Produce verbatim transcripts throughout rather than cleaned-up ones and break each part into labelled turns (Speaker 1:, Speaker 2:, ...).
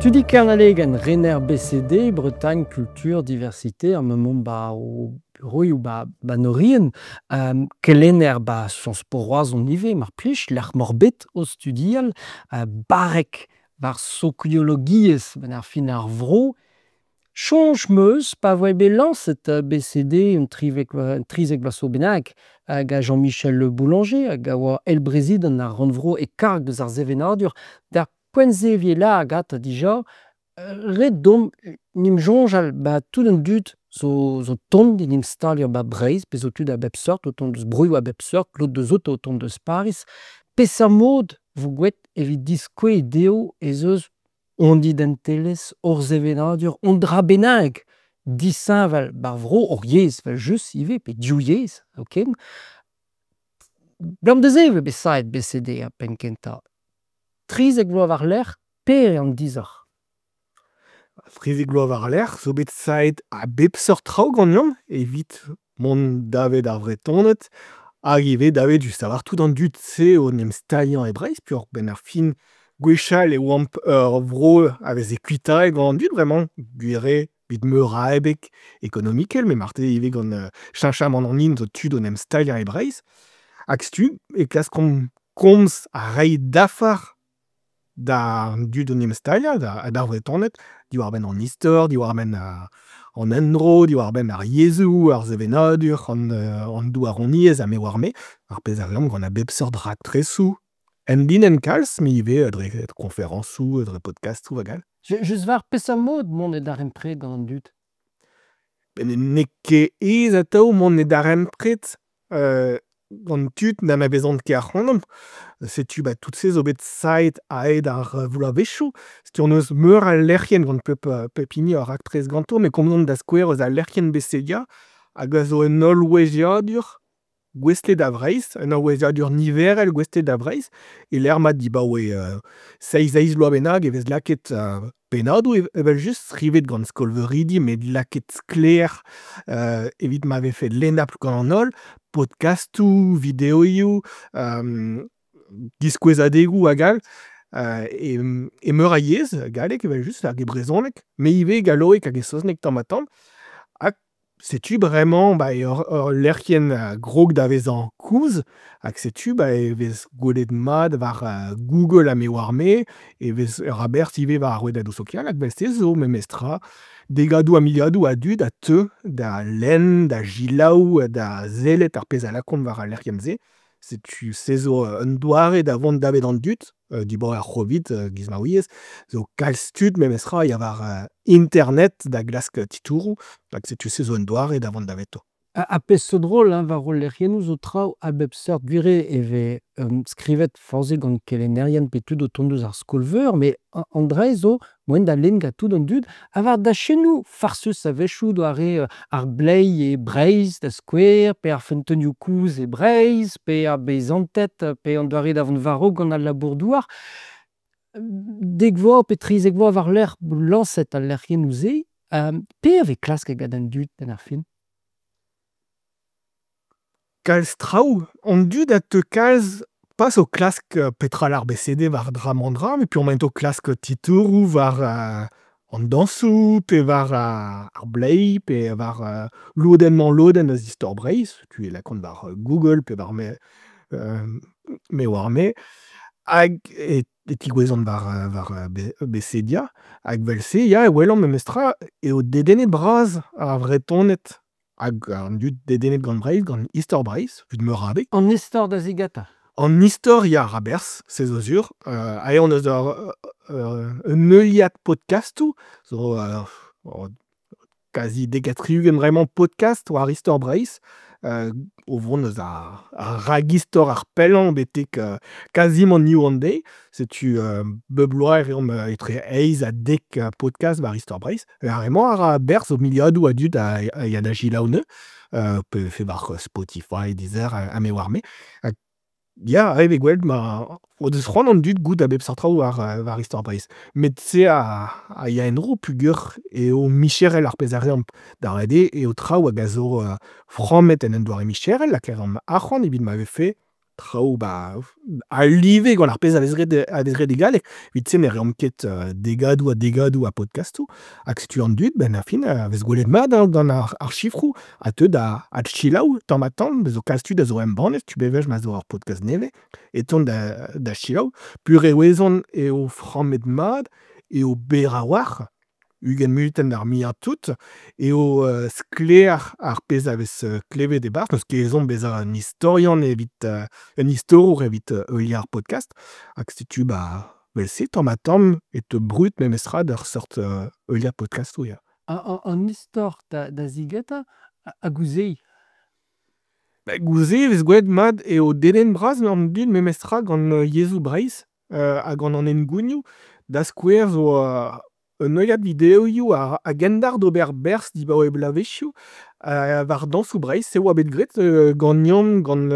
Speaker 1: Tudi Kernalegenn, rener B C D, Bretagne Culture Diversité, ar mañ ba o bureoioù ba ba 'n Oriant, euh, kelenner ba Sciences Po Roazhon ivez, mar plij, lec'h m'oc'h bet o studial, euh, barrek war sokiologiezh benn ar fin ar vro. Soñj 'm eus pa voe bet lañset B C D un trivek un trizek vloaz zo bennak hag a Jean-Michel Le Boulanger hag a oa eilbrezidant ar rannvro e karg deus ar sevenadur d'ar poent-se e vije lâret gantañ dija ret deomp 'n em soñjal 'ba tout an dud zo zo tont d'en em staliañ 'ba Breizh, bez zo tud a bep seurt o tont deus broioù a bep seurt, lod deus outo o tont deus Pariz. Peseurt mod 'vo graet evit diskouez dezho ez eus hon identelezh, hor sevenadur, un dra bennak disheñvel 'bar vro, hor yezh evel-just ivez, pe div yezh zoken. Abalamour da se eo bet savet B C D er penn-kentañ. Trizek vloaz war-lerc'h, pere an disoc'h?
Speaker 2: Trizek vloaz war-lerc'h zo bet savet a bep seurt traoù ganeomp evit mont davet ar Vretoned hag ivez davet just a-walc'h tout an dud-se o 'n em staliañ e Breizh peogwir 'benn ar fin gwechall e oamp ur vro a veze kuitaet gant an dud bremañ, gwir eo evit meur a abeg ekonomikel met marteze ivez gant cheñchamant an hin zo tud o 'n em staliañ e Breizh. Hag setu e klaskomp komz ha reiñ dafar d'an dud o 'n em staliañ ha d'ar Vretoned diwar-benn an istor, diwar-benn an endro, diwar-benn ar yezhoù, ar sevenadur, an an douaroniezh ha me 'oar-me, ar pezh a reomp gant a bep seurt raktresoù enlinenn kalz met ivez dre koñferañsoù, dre podkastoù hag all.
Speaker 1: Just war peseurt mod mont e darempred gant an dud?
Speaker 2: N'eo ket aes atav mont e darempred euh, gant tud n'anavezont ket ac'hanomp. Setu ba tout se zo bet savet a-hed ar bloavezhioù. Setu hon eus meur a lec'hienn gant pep, pep hini ur raktres ganto, met komzomp da skouer eus al lec'hienn B C D A hag a zo un holloueziadur gouestlet da Vreizh, un holloueziadur niverel gouestlet da Vreizh, e-lec'h ma dibaoe euh, seizh eizh vloaz bennak e vez lakaet euh, pennadoù evel-just skrivet gant skolveuridi met lakaet sklaer euh, evit ma vefe lennapl gant an holl, podkastoù, videoioù, euh, diskouezadegoù hag all, euh, e, e meur a yezh, galleg evel-just hag e brezhoneg, met ivez galloeg hag e saozneg tamm-ha-tamm. Hag setu bremañ ba eo ur lec'hienn a grog da vezañ kozh hag setu ba e vez gwelet mat war Google ha me 'oar-me, e vez ur aberzh ivez war ar rouedadoù sokial hag evel-se zo memestra degadoù ha miliadoù a dud a teu da lenn, da selaou, da sellet ar pezh a lakaont war al lec'hienn-se. Setu se zo un doare da vont davet an dud, dibaoe ar C'hovid, giz ma ouiez, zo kalz tud memestra ya war internet da glask titouroù, hag setu se zo un doare da vont daveto.
Speaker 1: Ha pezh zo drol hein, war hol lec'hiennoù zo traoù a bep seurt gwir eo e vez um, skrivet forzhik gant kelennerien pe tud o tont eus ar skol-veur, met an dra zo moaien da lenn gant tout an dud ha war dachennoù farsus a-wechoù doare ar bleiz e Breizh da skouer, pe ar feunteunioù kozh e Breizh, pe ar beizanted, pe an doare da vont war-raok gant al labour-douar. Dek vloaz pe trizek vloaz war-lerc'h lañset al lec'hiennoù-se, um, pe a vez klasket gant an dud benn ar fin?
Speaker 2: Kalz traoù, an dud a teu kalz pas o klask petra lar B C D war dra-mañ-dra, met peogwir emaint o klask titouroù war euh, an dañsoù, pe war ar bleiz, pe war euh, lodenn-mañ-lodenn eus istor Breizh, tu e lakaont war Google pe war me, euh, me 'oar me, hag e, e tegouezhont war, war B C D A, hag evel-se ya e welomp memestra eo dedennet bras ar Vretoned hag an dud dedennet gant Breizh, gant istor Breizh, evit meur a abeg.
Speaker 1: An istor da zigatañ.
Speaker 2: An istor ya a berzh, se zo sur. Euh, aze hon eus ur, ur, un heuliad podkastoù, zo euh, kazi dek ha tri-ugent bremañ podcast war istor Breizh, euh, o vont eus ar, ar ragistor ar pellañ betek euh, kazimant New One Day. Setu euh, bep bloaz e reomp etre eizh ha dek podcast war istor Breizh. Ar re-mañ a ra berzh zo miliadoù a dud a, a ya da selaou anezho, euh, pe vefe war Spotify, Deezer ha me 'oar me. Hag ya, aet eo gwell ma o deus c'hoant an dud goût a bep seurt traoù war, war istor Breizh. Met se a, a ya en-dro peogwir eo micherel ar pezh a reomp. Da ret eo eo traoù hag a zo euh, frammet en un doare micherel, lakaet an arc'hant evit ma vefe Traoù 'ba a-live gant ar pezh a vez graet a vez graet e galleg. Evit-se ne reomp ket degadoù ha degadoù a podkastoù. Hag setu an dud 'benn ar fin a vez gwelet mat hein gant ar ar sifroù a teu da adselaou tamm-ha-tamm. Bez zo kalz tud a zo embannet, setu bewech ma zo ur podkast nevez e teuont da da selaou. Peurrest e ouezont eo frammet mat, eo berr a-walc'h, ugent munutenn d'ar muiañ-tout, eo sklaer ar pezh a vez klevet e-barzh, n'eus ket ezhomm bezañ un istorian evit un istorour evit heuliañ ar podkast. Hag setu ba 'vel-se tamm-ha-tamm e teu brud memestra d'ur seurt heuliañ podkastoù ya.
Speaker 1: An istor da da zigentañ hag ouzh se.
Speaker 2: Ba goude-se e vez gwelet mat eo dedenn-bras an dud memestra gant yezhoù Breizh ha gant an hengounioù. Da skouer zo un heuliad videoioù a a-gendalc'h d'ober berzh dibaoe bloavezhioù war dañsoù Breizh. Se oa bet graet ganeomp gant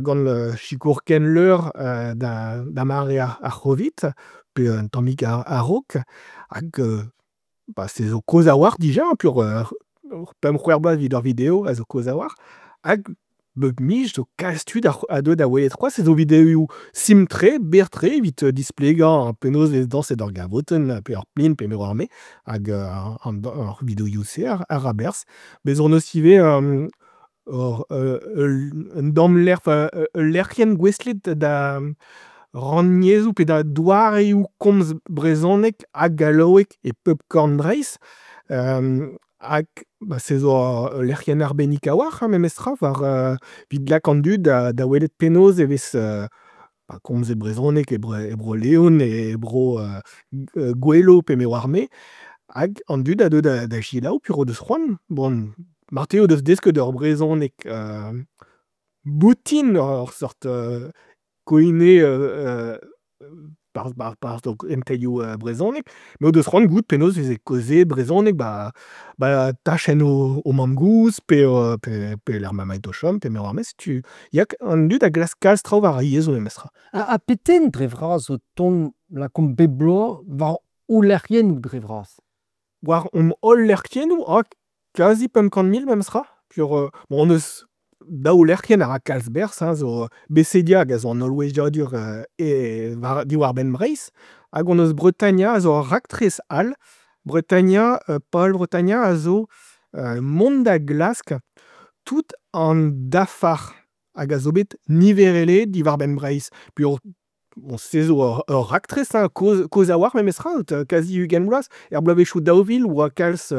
Speaker 2: gant sikour Kenleur da da mare ar C'hovid pe un tammig a-raok. Hag ba se zo kozh a-walc'h dija peogwir pemp c'hwec'h bloaz evit ar video a zo kozh a-walc'h. Hag bep miz zo kalz tud a deu da welet c'hoazh ez eo videoioù simpl-tre, berr-tre evit displegañ penaos e vez dañset ur gavotenn pe ur plin pe me 'oar-me. Hag ar videoioù-se a ra berzh. Bez' hon eus ivez ur un tamm lec'h, ul lec'hienn gouestlet da rannyezhoù pe da doareoù komz brezhoneg ha gallaoueg e pep korn Breizh. Hag ba se zo ul lec'hienn arbennik a-walc'h hein memestra war evit lak an dud da da welet penaos e vez ba komzet brezhoneg e Bro-Leon, e Bro Gouelo pe me 'oar-me. Hag an dud a deu da da selaou peogwir o deus c'hoant. Bon, marteze o deus desket ur brezhoneg boutin ur seurt koine barzh o kentelioù brezhoneg, met o deus c'hoant goût penaos e veze kaozeet brezhoneg 'ba 'ba tachenn o mamm-gozh pe pe lec'h ma emaint o chom pe me 'oar-me setu ya an dud a glask kalz traoù war ar yezhoù memestra.
Speaker 1: Ha pet den dre vras o tont lakaomp bep bloaz war ho lec'hiennoù dre vras?
Speaker 2: War hon holl lec'hiennoù, ah kazi pemp kant mil memestra peogwir bon hon eus daou lec'hienn a ra kalz berzh hein, zo Becedia hag a zo an holloueziadur e war diwar-benn Breizh hag hon eus Bretania a zo ur raktres all. Bretania, pal Bretania a zo mont da glask tout an dafar hag a zo bet niverelaet diwar-benn Breizh. Peogwir bon se zo ur, ur raktres hein, kozh, kozh a-walc'h memestra, kazi ugent vloaz. Er bloavezhioù daou vil 'oa kalz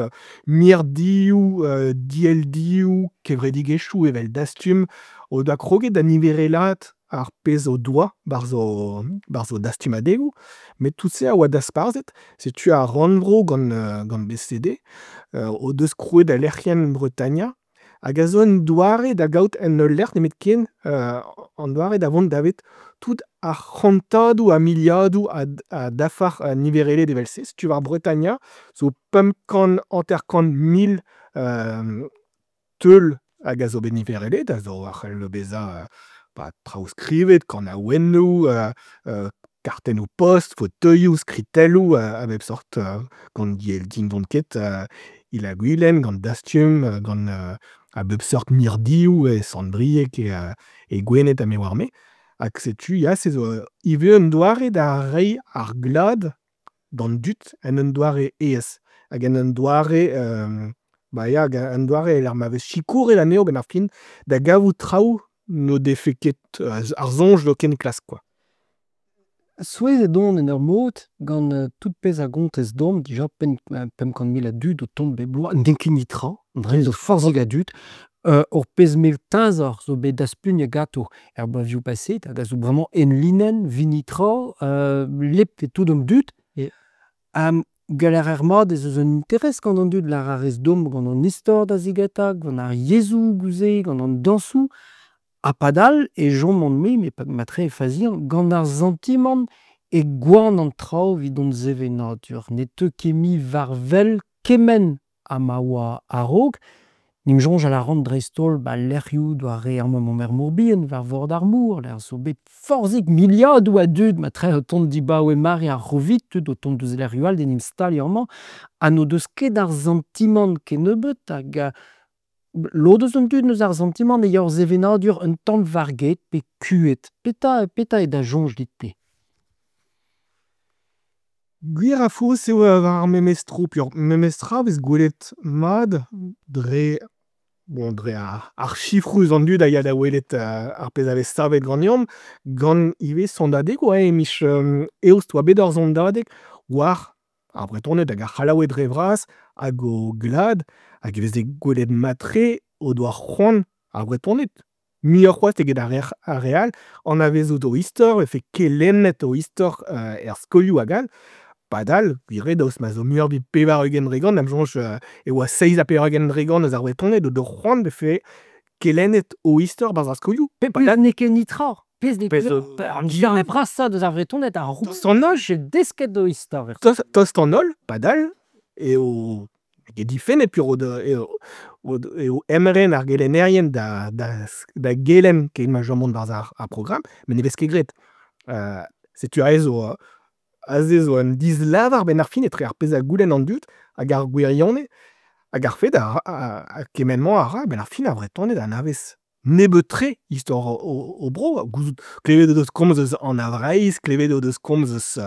Speaker 2: mirdioù, dielldioù, kevredigezhioù evel Dastum o doa kroget da niverelaat ar pezh o doa 'barzh o, 'barzh o dastumadegoù. Met tout se a oa dasparzhet. Setu ar rannvro gant, gant B C D o deus krouet al lec'hienn Bretania hag a zo un doare da gaout en ul lec'h nemetken an doare da vont davet tout ar c'hantadoù ha miliadoù a, a dafar niverelet evel-se. Setu war Bretania zo pemp kant hanter-kant mil teul hag a zo bet niverelet, a zo a c'hell bezañ ba traoù skrivet, kanaouennoù, kartennoù-post, fauteuilhoù, skritelloù a bep sort gant diell ket Il-ha-Gwilen, gant Dastum, gant a bep seurt mirdioù e Sant-Brieg, e, e Gwened ha me 'oar-me. Hag setu ya, se zo ivez un doare da reiñ ar glad d'an dud en un doare aes. Hag en un doare, ba ya, un doare e-lec'h ma vez sikouret anezho 'benn ar fin da gavout traoù n'o defe ket ar soñj zoken klask kwa.
Speaker 1: Souezhet on en ur mod gant tout pezh a gontez deomp dija pemp pemp kant mil a dud o tont bep bloaz, n'int ket netra, dre zo forzhik a dud. Ur pezh mell teñzor zo bet daspugnet ganto er bloavezhioù paseet hag a zo bremañ enlinenn, 'vit netra, lep eo tout an dud. Gallout a raer mat ez eus un interest gant an dud lâr a rez deomp gant an istor da zigentañ, gant ar yezhoù goude, gant an dañsoù. Ha padal e choman-me, met matre e fazian, gant ar santimant e gwan an traoù evit hon sevenadur. Ne teu ket mui war wel kement ha ma oa a-raok. En em soñjal a ran dreist-holl 'ba lec'hioù doare amañ emaomp er Mor-Bihan, war vord ar mor, lec'h zo bet forzhik miliadoù a dud matre o tont dibaoe mare ar C'hovid, tud o tont deus lec'hioù all d'en em staliañ amañ, ha n'o deus ket ar santimant kennebeut hag Lod eus an dud 'neus ar santimant e ya hor sevenadur un tamm war-get pe ku'et. Petra, petra eo da soñj dit-te?
Speaker 2: Gwir ha faos eo war ar memes tro peogwir memes tra 'vez gwelet mat dre bon dre ar sifroù eus an dud a ya da welet ar pezh a vez savet ganeomp, gant ivez sondadegoù e miz Eost 'oa bet ur sondadeg war ar Vretoned hag ar C'hallaoued dre vras hag o glad hag e veze gwelet mat-tre o doa c'hoant ar Vretoned, muioc'h c'hoazh eget ar ar re all, anavezout o istor, e vefe kelennet o istor er skolioù hag all. Padal, gwir eo daoust ma zo muioc'h evit pevar-ugent dre gant, da'm soñj e oa seizh ha pevar-ugent dre gant eus ar Vretoned o do c'hoant 'vefe kelennet o istor 'barzh ar skolioù.
Speaker 1: Padal n'eo ket netra. Pezh n'eo ket an darn vrasañ deus ar Vretoned a roust an holl desket o istor.
Speaker 2: Tost, tost an holl, padal eo eo difennet peogwir eo eo emren ar gelennerien da da da gelenn ken ma chomont 'barzh ar ar programm, met ne vez ket graet. Setu aze zo aze zo un dislavar 'benn ar fin etre ar pezh a goulenn an dud hag ar gwirionez hag ar fed a kement-mañ a ra 'benn ar fin ar Vretoned a anavez nebeut-tre istor o bro. Gouzout klevet o deus komz eus Anna Vreizh, klevet o deus komz eus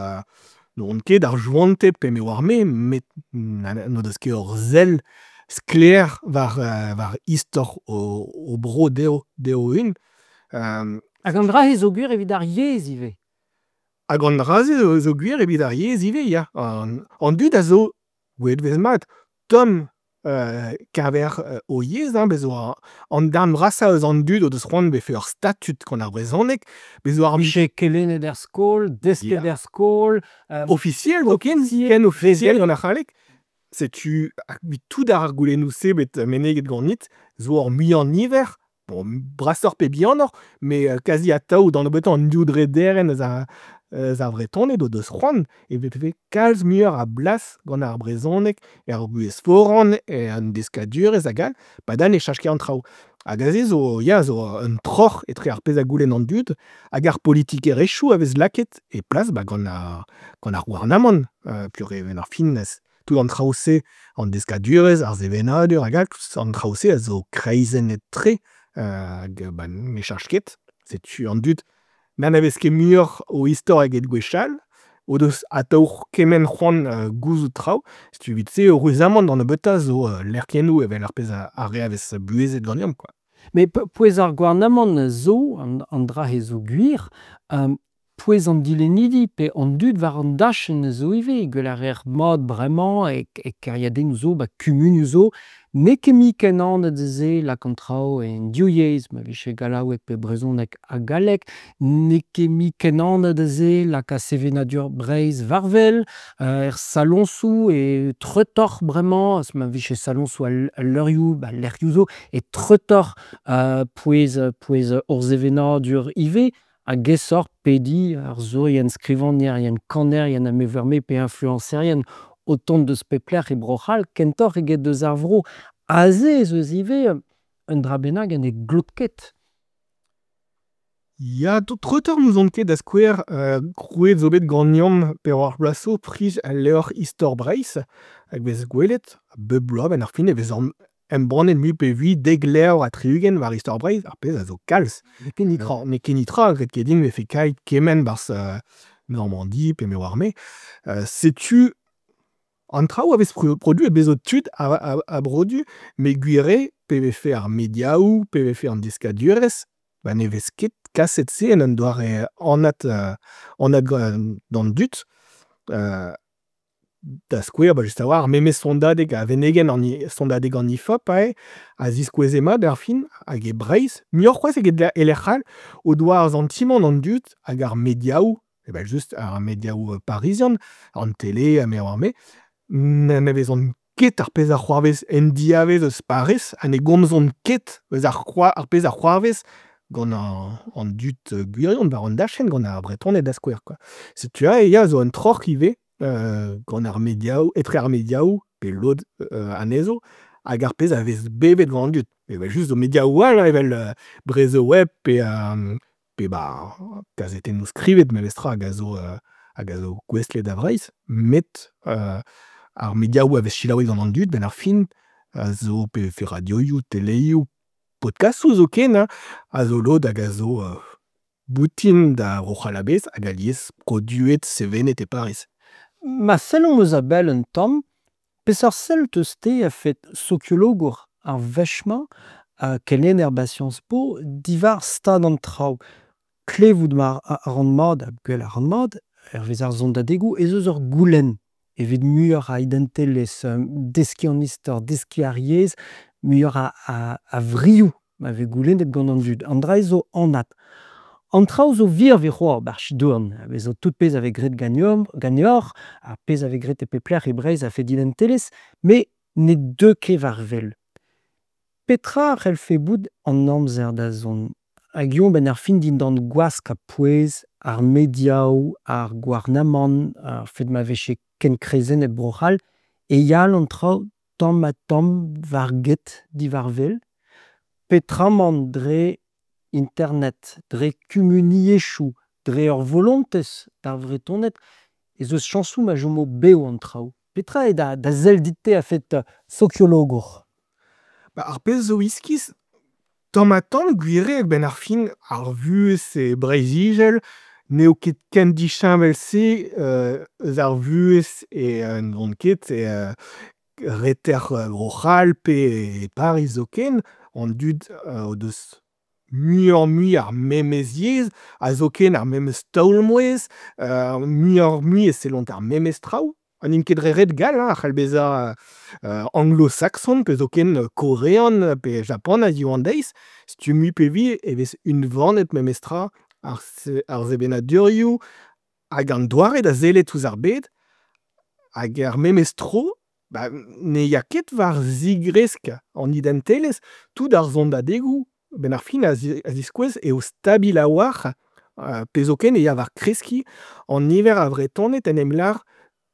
Speaker 2: n'on ket ar Chouanted pe me 'oar-me, met n'o deus ket ur sell sklaer war war istor o bro dezho dezho o-unan.
Speaker 1: Hag an dra-se zo gwir evit ar yezh ivez.
Speaker 2: Hag an dra-se zo gwir evit ar yezh ivez, ya. An dud a zo, gwelet 'vez mat, tomm keñver o yezh, hein, bez' zo an darn vrasañ eus an dud o deus c'hoant 'vefe ur statud gant ar brezhoneg, bez' zo ar
Speaker 1: Vije kelennet er skol, desket er skol.
Speaker 2: Ofisiel zoken, ken ofisiel gant ar c'halleg. Setu evit tout ar goulennoù-se bet meneget ganit zo ur muiañ-niver, bon, brasoc'h pe bihanoc'h, met kazi atav d'an nebeutañ an div drederenn eus ar eus ar Vretoned o deus c'hoant e vefe kalz muioc'h a blas gant ar brezhoneg er vuhez foran, en deskadurezh hag all, padal ne cheñch ket an traoù. Hag aze zo ya zo un troc'h etre ar pezh a goulenn an dud hag ar politikerezhioù a vez lakaet e plas ba gant ar gant ar gouarnamant peogwir e-benn ar fin tout an traoù-se, an deskadurezh, ar sevenadur hag all, tout an traoù-se a zo kreizennet-tre hag ba ne cheñch ket. Setu an dud n'anavez ket muioc'h o istor eget gwechall, o deus atav kement c'hoant gouzout traoù. Setu evit-se eüruzamant d'an nebeutañ zo lec'hiennoù evel ar pezh ar re a vez buhezet ganeomp kwa.
Speaker 1: Met pouez ar gouarnamant zo, an, an dra-se zo gwir, pouez an dilennidi pe an dud war an dachenn zo ivez. Gwell a reer mat bremañ e, e kêriadennoù zo, ba kumunioù zo. N'eo ket mui ken anat se lak an traoù en div yezh, ma vije gallaoueg pe brezhoneg ha galleg. N'eo ket mui ken anat se lakaat sevenadur Breizh war-wel, er saloñsoù e treutoc'h bremañ, ma vije saloñsoù al, al leurioù, ba lec'hioù zo, e treutoc'h pouez, pouez hor sevenadur ivez, hag aesoc'h pediñ arzourien, skrivagnerien, kanerien ha me 'oar-me pe influencerien o tont deus pep lec'h e Bro-C'hall kentoc'h eget deus ar vro. Aze ez eus ivez un dra bennak ha ne glot ket.
Speaker 2: Ya, treutoc'h n'ouzon ket da skouer, krouet zo bet ganeomp pevar bloaz zo priz al levr Istor Breizh, hag vez gwelet, bep bloaz 'benn ar fin e vez embannet mui pe vui dek levr ha tri-ugent war Istor Breizh, ar pezh a zo kalz.
Speaker 1: N'eo ket netra.
Speaker 2: N'eo ket netra, ret ket din 'vefe kaeet kement 'barzh Normandi pe me 'oar-me. Setu an traoù a vez produet, bez zo tud a, a, a brodu, met gwir eo pe vefe ar mediaoù, pe vefe an deskadurezh, ba ne vez ket kaset se en un doare anat, anat d'an dud. Da skouer, ba just a-walc'h, memes sondadeg a venegen an sondadeg an I F O P aze, a ziskoueze mat ar fin, hag e Breizh, muioc'h c'hoazh eget e lec'h all, o doa ar santimant an dud hag ar mediaoù, evel-just ar mediaoù parizian, an tele ha me 'oar-me, n'anavezont ket ar pezh a c'hoarvez en diavez eus Pariz ha ne gomzont ket eus ar ar pezh a c'hoarvez gant an, an dud gwirion war an dachenn, gant ar Bretoned da skouer kwa. Setu aze ya zo un troc'h ivez gant ar mediaoù, etre ar mediaoù pe lod anezho hag ar pezh a vez bevet gant an dud. Evel-just zo mediaoù all evel Brezhoweb pe pe ba kazetennoù skrivet memestra hag a zo hag a zo gouestlet da Vreizh, met ar mediaoù a vez selaouet gant an dud 'benn ar fin A zo pe vefe radioioù, teleioù, podkastoù zoken hein, a zo lod hag a zo boutin da Vro-C'hall a-bezh hag alies produet, sevenet e Pariz.
Speaker 1: Ma sellomp eus a-bell un tamm, peseurt sell 'teus-te a-fet sokiologour ar wech-mañ, kelenner 'ba Sciences Po, diwar stad an traoù? Klevout a ran mat ha gwell a ran mat, hervez ar sondadegoù, ez eus ur goulenn evit muioc'h a identelezh, deskiñ an istor, deskiñ ar yezh, muioc'h a a vrioù ma vez goulennet gant an dud. An dra-se zo anat. An traoù zo virvi c'hoazh 'ba 'r chidorn, a vezo tout pezh a vez graet ganeomp, ganeoc'h, ar pezh a vez graet e pep lec'h e Breizh a-fet identelezh, met ne deu ket war-wel. Petra a c'hellfe bout an amzer da zont? Hag eñ 'benn ar fin dindan gwask ha pouez ar mediaoù, ar gouarnamant, ar fed ma vefe ken kreizennet Bro-C'hall, e ya an traoù tamm-ha-tamm war-get diwar-wel, peotramant dre internet, dre kumuniezhioù, dre ur volontez d'ar Vretoned, ez eus chañsoù ma chomo bev an traoù. Petra eo da da sell dit-te a-fet sokiologour?
Speaker 2: Ba ar pezh zo iskis, tamm-ha-tamm gwir eo a-benn ar fin ar vuhez e Breizh-Izel n'eo ket ken disheñvel-se eus ar vuhez e n'on ket e reter Bro-C'hall pe e Pariz zoken. An dud o deus muioc'h-mui ar memes yezh ha zoken ar memes taol-mouezh, muioc'h-mui e sellont ar memes traoù. Ha n'int ket dre ret gall hein, a c'hall bezañ anglo-sakson pe zoken korean pe japanat hiziv an deiz. Setu mui pe vui e vez unvanet memestra ar ar sevenadurioù hag an doare da sellet ouzh ar bed. Hag er memes tro, ba ne ya ket war zigresk an identelezh. Tout ar sondadegoù, 'benn ar fin, a ziskouez eo stabil a-walc'h, pe zoken e ya war kreskiñ an niver a Vretoned en em lâr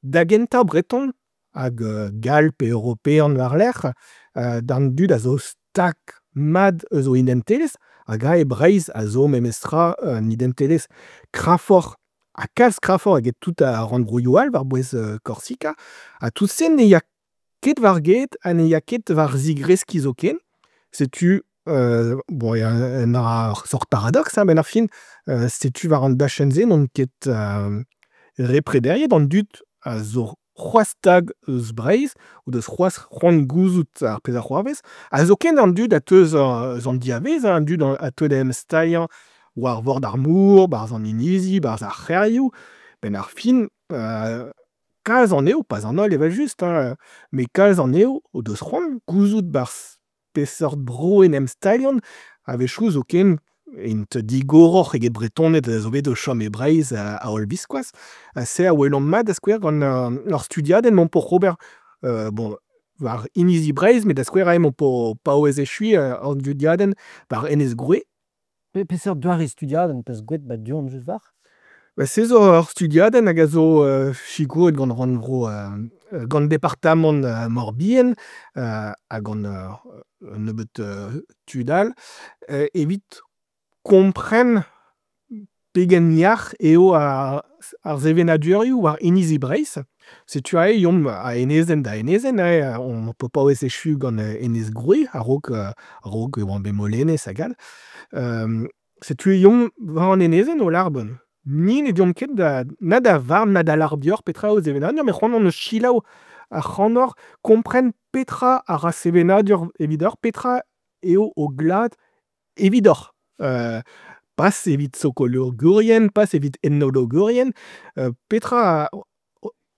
Speaker 2: da gentañ breton hag gall pe european war-lerc'h, d'an dud a zo stag mat eus o identelezh hag aze Breizh a zo memestra un identelezh kreñvoc'h ha kalz kreñvoc'h eget tout ar rannvroioù all war-bouez Korsika. Ha tout-se ne ya ket war-get ha ne ya ket war zigreskiñ zoken. Setu bon un dra ur sort paradoks hein, 'benn ar fin, setu war an dachenn-se n'on ket re prederiet an dud a zo c'hoazh stag eus Breizh, o deus c'hoazh c'hoant gouzout ar pezh a c'hoarvez, ha zoken an dud a teu eus an diavaez, an dud a teu da em staliañ war vord ar mor, 'barzh an inizi, 'barzh ar c'hêrioù, 'benn ar fin, kalz anezho, pas an holl evel-just, hein, met kalz anezho o deus c'hoant gouzout 'barzh peseurt bro en em staliont, a-wechoù zoken int digoroc'h eget Bretoned a zo bet o chom e Breizh a-holl-viskoazh. Ha se a welomp mat da skouer gant ur studiadenn 'maomp oc'h ober bon, war inizi Breizh, met da skouer aze emaomp o paouez echuiñ ur studiadenn war Enez Groe.
Speaker 1: Peseurt doare studiadenn 'peus graet 'ba du-hont just war?
Speaker 2: Ba se zo ur studiadenn hag a zo sikouret gant rannvro, gant departamant Mor-Bihan ha gant un nebeud tud all, evit kompren pegen yac'h eo ar sevenadurioù war inizi Breizh. Setu aze eomp a enezenn da enezenn, aze omp o paouez echuiñ gant Enez Groe a-raok a-raok e oamp bet Molenez hag all. Setu eomp war an enezenn o lâr bon, ni ne deomp ket da na da varn na da lâr deoc'h petra eo sevenadur, met c'hoant hon eus selaou ac'hanoc'h, kompren petra a ra sevenadur evidoc'h, petra eo ho glad evidoc'h. Pas evit sokologourien, pas evit etnologourien, petra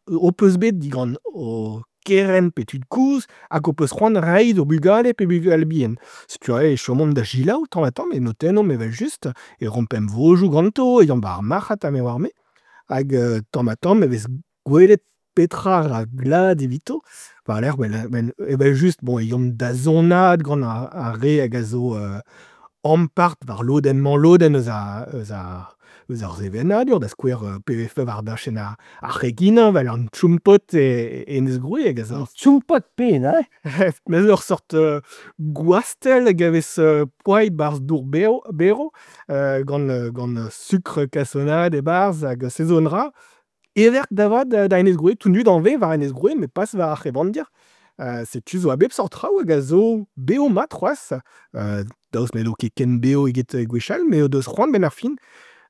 Speaker 2: ho peus bet digant ho kerent pe tud-kozh hag ho peus c'hoant reiñ d'ho bugale pe bugale-bihan. Setu aze e chomomp da selaou tamm-ha-tamm, e notennomp evel-just, e roomp emvodoù ganto, e yomp war ar marc'had ha me 'oar-me. Hag tamm-ha-tamm e vez gwelet petra a ra glad evito. War-lerc'h evel-just bon e yomp da zonaat gant ar re hag a zo ampart war lodenn-mañ-lodenn eus ar, eus ar, eus ar sevenadur, da skouer pe vefe war dachenn ar, ar c'heginañ 'vel an tchoum-pod e Enez Groe hag a zo...
Speaker 1: Tchoum-pod penaos?
Speaker 2: Met ur sort gwastell hag a vez poazhet 'barzh dour bev, berv, gant, gant sukr kasonad e-barzh hag se zo un dra heverk da vat da Enez Groe. Tout an dud anvez war Enez Groe met pas war ar c'hevandir. Setu zo a bep seurt traoù hag a zo bev-mat c'hoazh, daoust n'edo ket ken bev eget gwechall met o deus c'hoant 'benn ar fin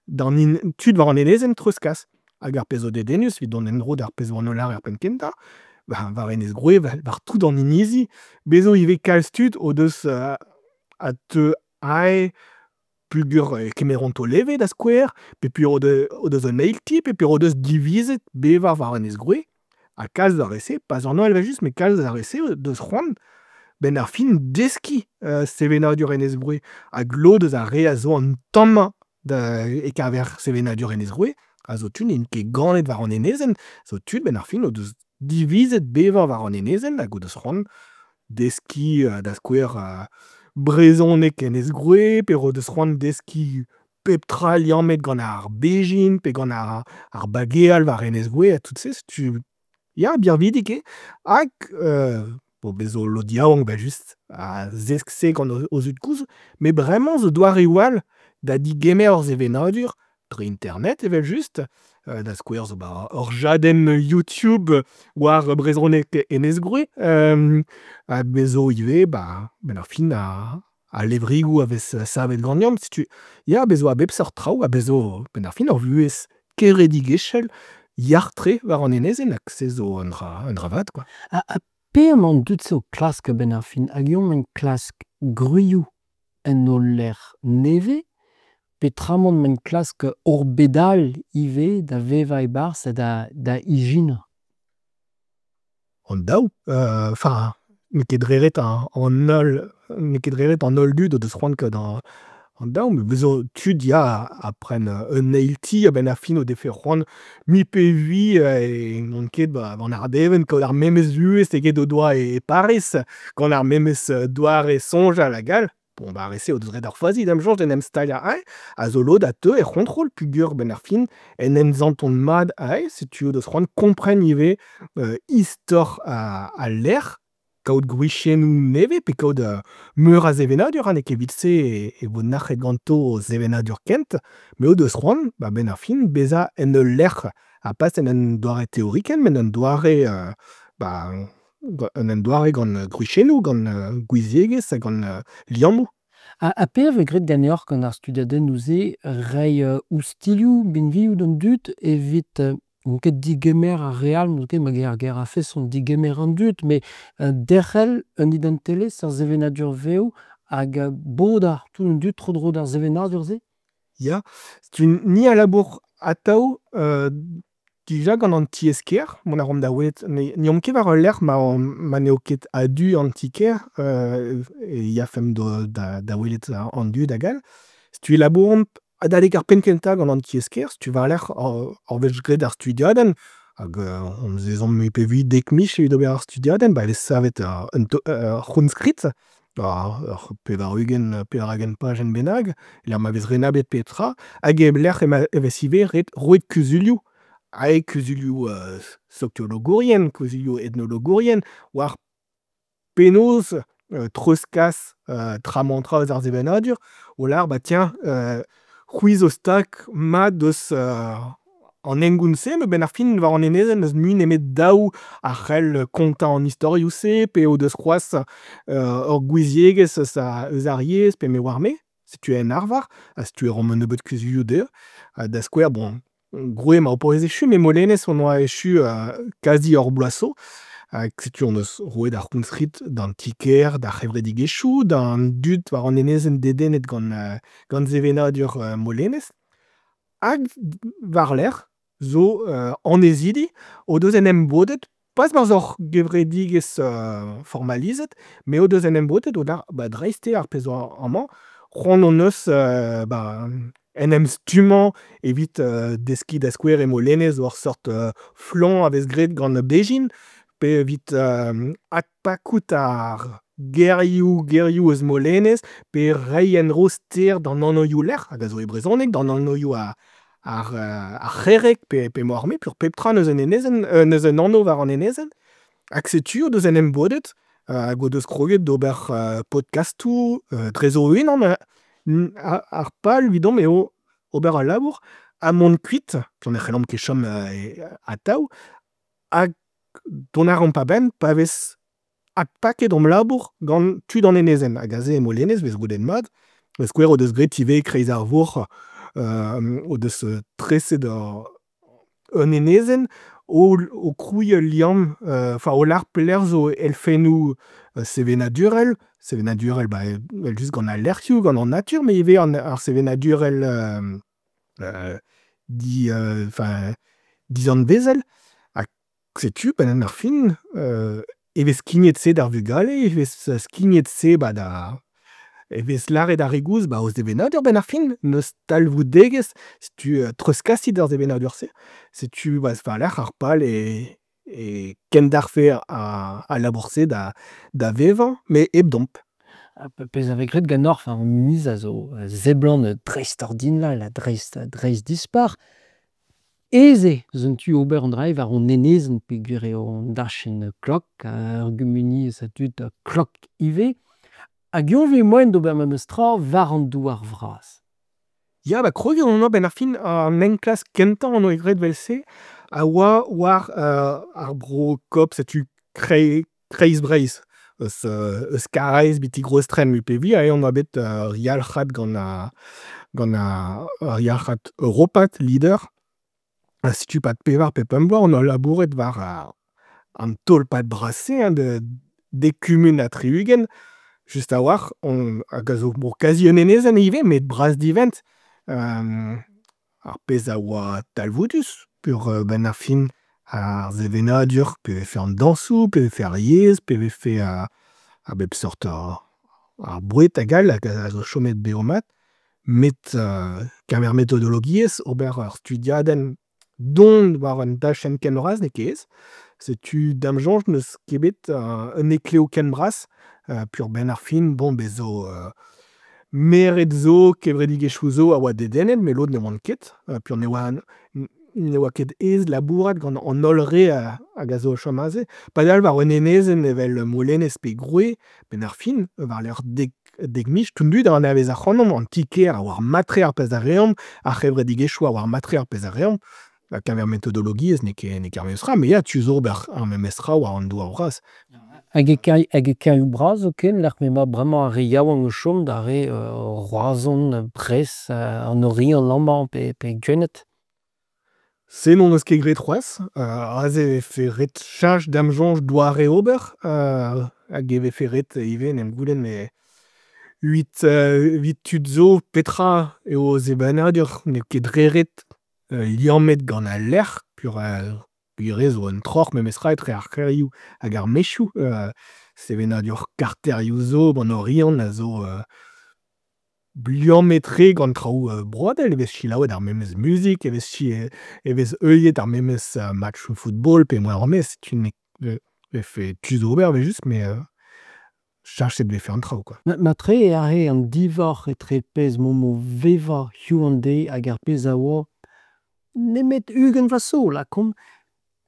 Speaker 2: d'an hin- tud war an enezenn treuzkas. Hag ar pezh zo dedennus evit dont en-dro d'ar pezh 'oan o lâret er penn kentañ, ba war enez Groe war tout an inizi, bez zo ivez kalz tud o deus a teu aze peogwir e kemeront o leve da skouer, peogwir o deus o deus un eil ti, peogwir o deus divizet bevañ war enez Groe, ha kalz ar re-se, pas an holl evel-just, met kalz ar re-se o deus c'hoant 'benn ar fin deskiñ sevenadur enez Groe. Hag lod eus ar re a zo an tommañ da e-keñver sevenadur enez Groe a zo tud n'int ket ganet war an enezenn, zo tud 'benn ar fin o deus divizet bevañ war an enezenn hag o deus c'hoant deskiñ da skouer brezhoneg enez Groe, pe o deus c'hoant deskiñ pep tra liammet gant ar bezhin pe gant ar, ar bageal war enez Groe ha tout se, setu ya birvidik eo. Hag bon bez zo lod yaouank evel-just a zesk se gant o zud-kozh, met bremañ zo doareoù all da degemer ur sevenadur dre internet evel-just, da skouer zo 'ba ur jadenn YouTube war brezhoneg enez Groe, ha bez zo ivez 'ba 'benn ar fin ar al levrigoù a vez savet ganeomp, setu ya bez zo a bep seurt traoù ha bez zo 'benn ar fin ur vuhez kevredigezhel yac'h-tre war an enezenn hag se zo un dra un dra vat kwa.
Speaker 1: Ha, ha pe emañ an dud-se o klask a-benn ar fin? Hag eñ emaint klask gwrioù en o lec'h nevez peotramant emaint klask ur bed all ivez da vevañ e-barzh ha da, da ijinañ?
Speaker 2: An daou, enfin n'eo ket dre ret an holl, n'eo ket dre ret an holl dud o deus c'hoant kaout an daou, met bez zo tud ya a pren un eil ti a-benn ar fin o defe c'hoant mui pe vui n'on ket 'ba an Ardeven kaout ar memes vuhez eget o doa e Pariz, gant ar memes doare soñjal hag all. Bon bah ar re-se o deus graet ur fazi da'm soñj d'en em staliañ aze, a zo lod a teu er c'hontrol peogwir 'benn ar fin en em santont mat aze, setu o deus c'hoant kompren ivez istor al lec'h, kaout gwriziennoù nevez pe kaout meur a sevenadur ha n'eo ket evit-se e vo nac'het ganto o sevenadur kent, met o deus c'hoant ba 'benn ar fin bezañ en ul lec'h ha pas en un doare teorikel met un doare ba en un doare gant gwriziennoù, gant gouiziegezh ha gant liammoù.
Speaker 1: Ha, ha pe a vez graet ganeoc'h gant ar studiadennoù-se reiñ oustilhoù, binvioù d'an dud evit n'on ket digemer ar re all, n'on ket ma ger ar ger a-feson digemer an dud, met derc'hel un identelezh, ur sevenadur vev hag bodañ tout an dud tro-dro d'ar sevenadur-se?
Speaker 2: Ya, setu ni a labour atav dija gant an tiez-kêr, mont a reomp da welet, n'eomp ket war ul lec'h ma, ma n'eo ket a-du an ti-kêr, e yafemp da, da welet an dud hag all. Setu e labouromp adalek ar penn-kentañ gant an tiez-kêr, setu war-lerc'h ur wech graet ar studiadenn, hag hon eus ezhomm mui pe vui dek miz evit ober ar studiadenn, ba e vez savet un ur c'hounskrid, ur pevar-ugent, pevar-ugent pajenn bennak, lec'h ma vez renablet pep tra, hag e-lec'h e vez ivez ret roet kuzulioù, aet kuzulioù sokiologourien, kuzulioù etnologourien, war penaos treuzkas tra-mañ-tra eus ar sevenadur, o lâr bah tiens, c'hwi zo stag mat deus an hengoun-se, met 'benn ar fin war an enezenn n'eus mui nemet daou a c'hell kontañ an istorioù-se, pe o deus c'hoazh ur gouiziegezh eus eus ar yezh, pe me 'oar-me. Setu en arvar, ha setu e roomp un nebeud kuzulioù dezhañ. Ha da skouer, bon, Groe emañ o paouez echu, met Molenez hon oa echu kazi ur bloaz zo. Hag setu hon eus roet ar c'hounskrid d'an ti-kêr, d'ar c'hevredigezhioù, d'an dud war an enezenn dedennet gant, gant sevenadur Molenez. Hag war-lerc'h zo annezidi o deus en em bodet, pas barzh hor gevredigezh formalizet, met o deus en em bodet o lâr ba dreist eo ar pezh zo amañ, c'hoant hon eus ba en em stummañ evit deskiñ da skouer e Molenez ur seurt flañ a vez graet gant bezhin, pe evit adpakout ar gerioù, gerioù eus Molenez, pe reiñ en-dro ster d'an anvioù-lec'h hag a zo e brezhoneg, d'an anvioù ar, ar, ar c'herreg pe, pe m'oar-me, peogwir pep tra n'eus un enezenn, n'eus un anv war an enezenn. Hag setu o deus en em bodet hag o deus kroget d'ober podkastoù drezo o-unan. Ar pal evidomp eo ober al labour ha mont kuit, peogwir ne c'hellomp ket chom atav, hag dont a reomp a-benn pa vez adpaket hom labour gant tud an enezenn. Hag aze e Molenez 'vez goulennet mat. Da skouer o deus graet ivez kreiz ar vourc'h o deus treset ur un enezenn o o krouiñ ul liamm, enfin o lâr pelec'h zo elfennoù sevenadurel, sevenadurel ba evel-just gant al lec'hioù, gant an natur, met ivez an ar sevenadurel di enfin dizanvezel. Ha setu 'benn ar fin e vez skignet se d'ar vugale, e vez skignet se 'ba da e vez lâret ar re gozh 'ba o sevenadur 'benn ar fin, n'eus talvoudegezh, setu treuzkasit ar sevenadur-se. Setu ba war-lerc'h ar pal eo e kendalc'hfe al labour-se da da vevañ, met hepdomp.
Speaker 1: Ha pezh a vez graet ganeoc'h war an inizi a zo seblant dreistordinal ha dreist dreist-dispar. Aes eo eus un tu ober an dra-se war hon enezenn peogwir eo an dachenn klok, ur gumuniezh a dud klok ivez. Hag eñ 'vez moaien d'ober memes tra war an douar bras.
Speaker 2: Ya, ba kroget on a-benn ar fin an enklask kentañ hon doa graet evel-se a oa war ar bro Coop, setu kreiz Breizh. Eus, eus Karaez betek Rostrenn peogwir eo on oa bet ur yalc'had gant ar gant ar ur yalc'had europat Leader. Ha setu 'pad pevar pe pemp bloaz on oa labouret war ar an tolpad bras-se hein de dek kumun ha tri-ugent. Just a-walc'h on hag a zo bon kazi un enezenn ivez met bras-divent. Ar pezh a oa talvoudus peogwir 'benn ar fin ar sevenadur, pe vefe an dañsoù, pe vefe ar yezh, pe vefe a bep seurt ar boued hag all hag a zo chomet bev-mat. Met keñver metodologiezh, ober ur studiadenn don war un dachenn ken bras n'eo ket aes. Setu da'm soñj n'eus ket bet un heklev ken bras peogwir 'benn ar fin bon bez 'zo maered zo, kevredigezhioù zo a oa dedennet met lod ne oant ket. Peogwir ne oa ne oa ket aes labourat gant an holl re hag a zo o chom aze. Padal war un enezenn evel Molenez pe Groe, 'benn ar fin, war-lerc'h dek, dek miz, tout an dud a anavez ac'hanomp, an ti-kêr a oar mat-tre ar pezh a reomp, ar c'hevredigezhioù a oar mat-tre ar pezh a reomp. Ha keñver metodologiezh n'eo ket n'eo ket ar memes tra, met ya, tu zo ober ar memes tra war an douar bras.
Speaker 1: Hag e hag e kêrioù bras zoken, lec'h m'emañ bremañ ar re yaouank o chom, da re Roazhon, Brest, an Oriant amañ pe, pe Gwened.
Speaker 2: Se n'hon eus ket graet c'hoazh. Aze e vefe ret cheñch da'm soñj doare ober hag e vefe ret ivez en em goulenn met evit, evit tud zo petra eo o sevenadur n'eo ket dre ret liammet gant al lec'h peogwir zo un troc'h memestra etre ar c'hêrioù hag ar maezioù. Sevenadur karterioù zo 'ban Oriant a zo liammet-tre gant traoù broadel e vez selaouet ar memes muzik, e vez e vez heuliet ar memes matchoù football pe m'oar me setu 'vefe tu d'ober evel-just met cheñchet 'vefe an traoù kwa.
Speaker 1: Matre eo aze an diforc'h etre pezh 'maomp o vevañ hiziv an deiz hag ar pezh a oa nemet ugent vloaz zo lakaomp.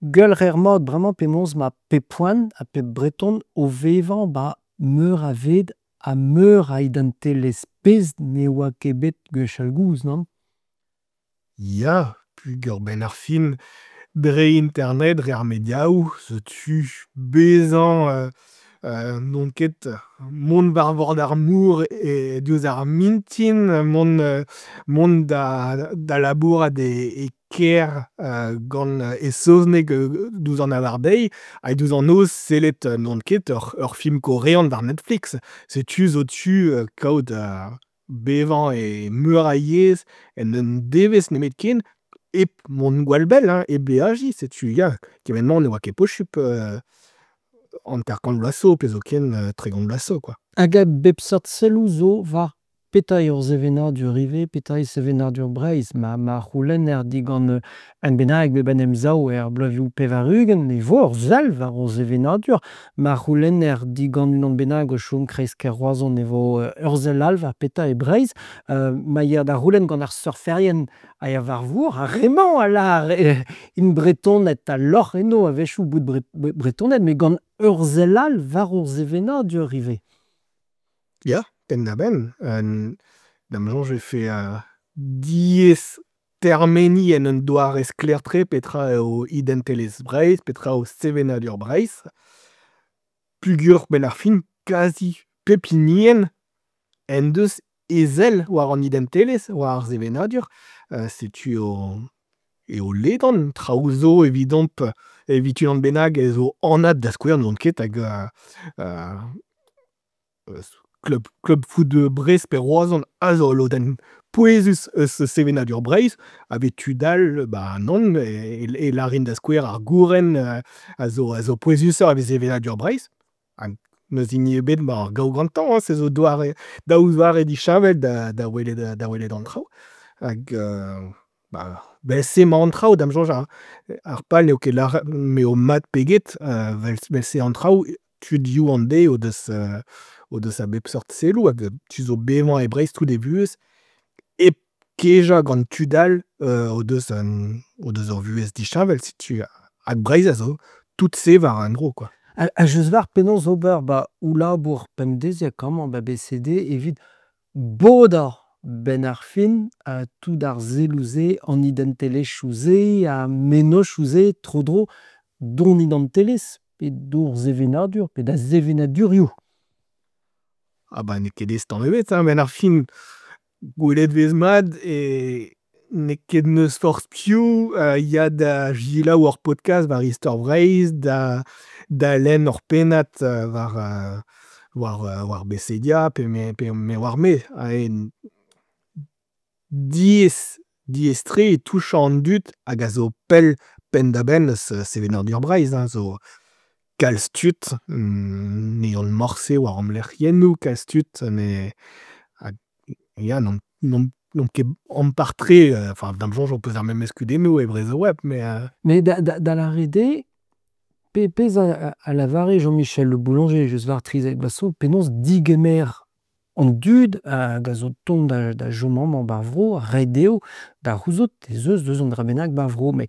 Speaker 1: Gwell 'reer mat bremañ penaos 'ma pep poent ha pep Breton o vevañ 'ba meur a ved ha meur a identelezh, pezh ne oa ket bet gwechall-gozh, nann?
Speaker 2: Ya, peogwir 'benn ar fin, dre internet, dre ar mediaoù, setu bezañ n'on ket mont war vord ar mor e diouzh ar mintin, mont mont da da labourat e kêr gant e saozneg diouzh an abardaez ha diouzh an noz sellet n'on ket ur ur film korean war Netflix. Setu zo tu kaout bevañ e meur a yezh en un devezh nemetken hep mont gwall bell hein, hep beajiñ, setu ya, kement-mañ ne oa ket posupl hanter-kant vloaz zo pe zoken tregont vloaz zo kwa.
Speaker 1: Hag a bep seurt selloù zo war petra eo ur sevenadur ivez, petra eo sevenadur Breizh. Ma, ma c'houlenner digant un bennak bet en em sav er bloavezhioù pevar-ugent e vo ur sell war hor sevenadur. Ma c'houlenner digant unan bennak o chom kreiz-kêr Roazhon e vo ur sell all war petra eo Breizh. Ma ya da c'houlenn gant ar surferien a ya war vor, ar re-mañ a lâr int Bretoned ha lorc'h enno a-wechoù bout Bretoned, met gant ur sell all war hor sevenadur ivez.
Speaker 2: Ya, penn-da-benn. Da'm soñj e vefe diaes termeniñ en un doare sklaer-tre petra eo identelezh Breizh, petra eo sevenadur Breizh. Pugur 'benn ar fin kazi pep hinienn en deus e sell war an identelezh, war ar sevenadur, setu eo eo ledan traoù zo evidomp, evit unan bennak ez eo anat da skouer n'on ket hag klub klub foot Brest pe Roazhon a zo ul lodenn pouezus eus sevenadur Breizh ha bet tud all ba nann e lârin da skouer ar gouren a zo a zo pouezusoc'h evit sevenadur Breizh ha n'eus hini ebet 'mañ ar gaou gantañ hein, se zo doare daou zoare disheñvel da da welet da welet an traoù hag ba 'vel-se 'mañ an traoù da'm soñj ar pal n'eo ket lâret m'eo mat pe get 'vel-se an traoù tud hiziv an deiz o deus o deus a bep seurt selloù hag tu zo bevañ e Breizh tout e vuhez hep kejañ gant tud all o deus un o deus ur vuhez disheñvel setu hag Breizh a zo tout se war un dro kwa.
Speaker 1: Ha just 'walc'h penaos ober 'ba ho labour pemdeziek amañ 'ba B C D evit bodañ 'benn ar fin tout ar selloù-se, an identelezhioù-se, ar mennozhioù-se tro-dro d'hon identelezh pe d'hor sevenadur pe da sevenadurioù.
Speaker 2: Ah bah n'eo ket aes tamm ebet hein, 'benn ar fin gwelet 'vez mat e n'eo ket n'eus forzh piv a ya da selaou ur podkast war istor Breizh, da da lenn ur pennad war war war Becedia pe me pe me 'oar-me. Diaes, diaes-tre eo touchañ an dud hag a zo pell penn-da-benn eus sevenadur Breizh hein, zo kalz tud n'eont morse war hom lec'hiennoù, kalz tud ne ya n'omp n'omp n'omp ket ampart-tre, enfin da'm soñj ho peus ar memes kudennoù e Brezhoweb met.
Speaker 1: Met da da da lâret eo, pe pezh a a lavare Jean-Michel Le Boulanger just war trizek vloaz zo, penaos degemer an dud hag a zo 'tont da da chom amañ 'ba 'r vro, reiñ dezho da c'houzout ez eus deus un dra bennak 'ba 'r vro met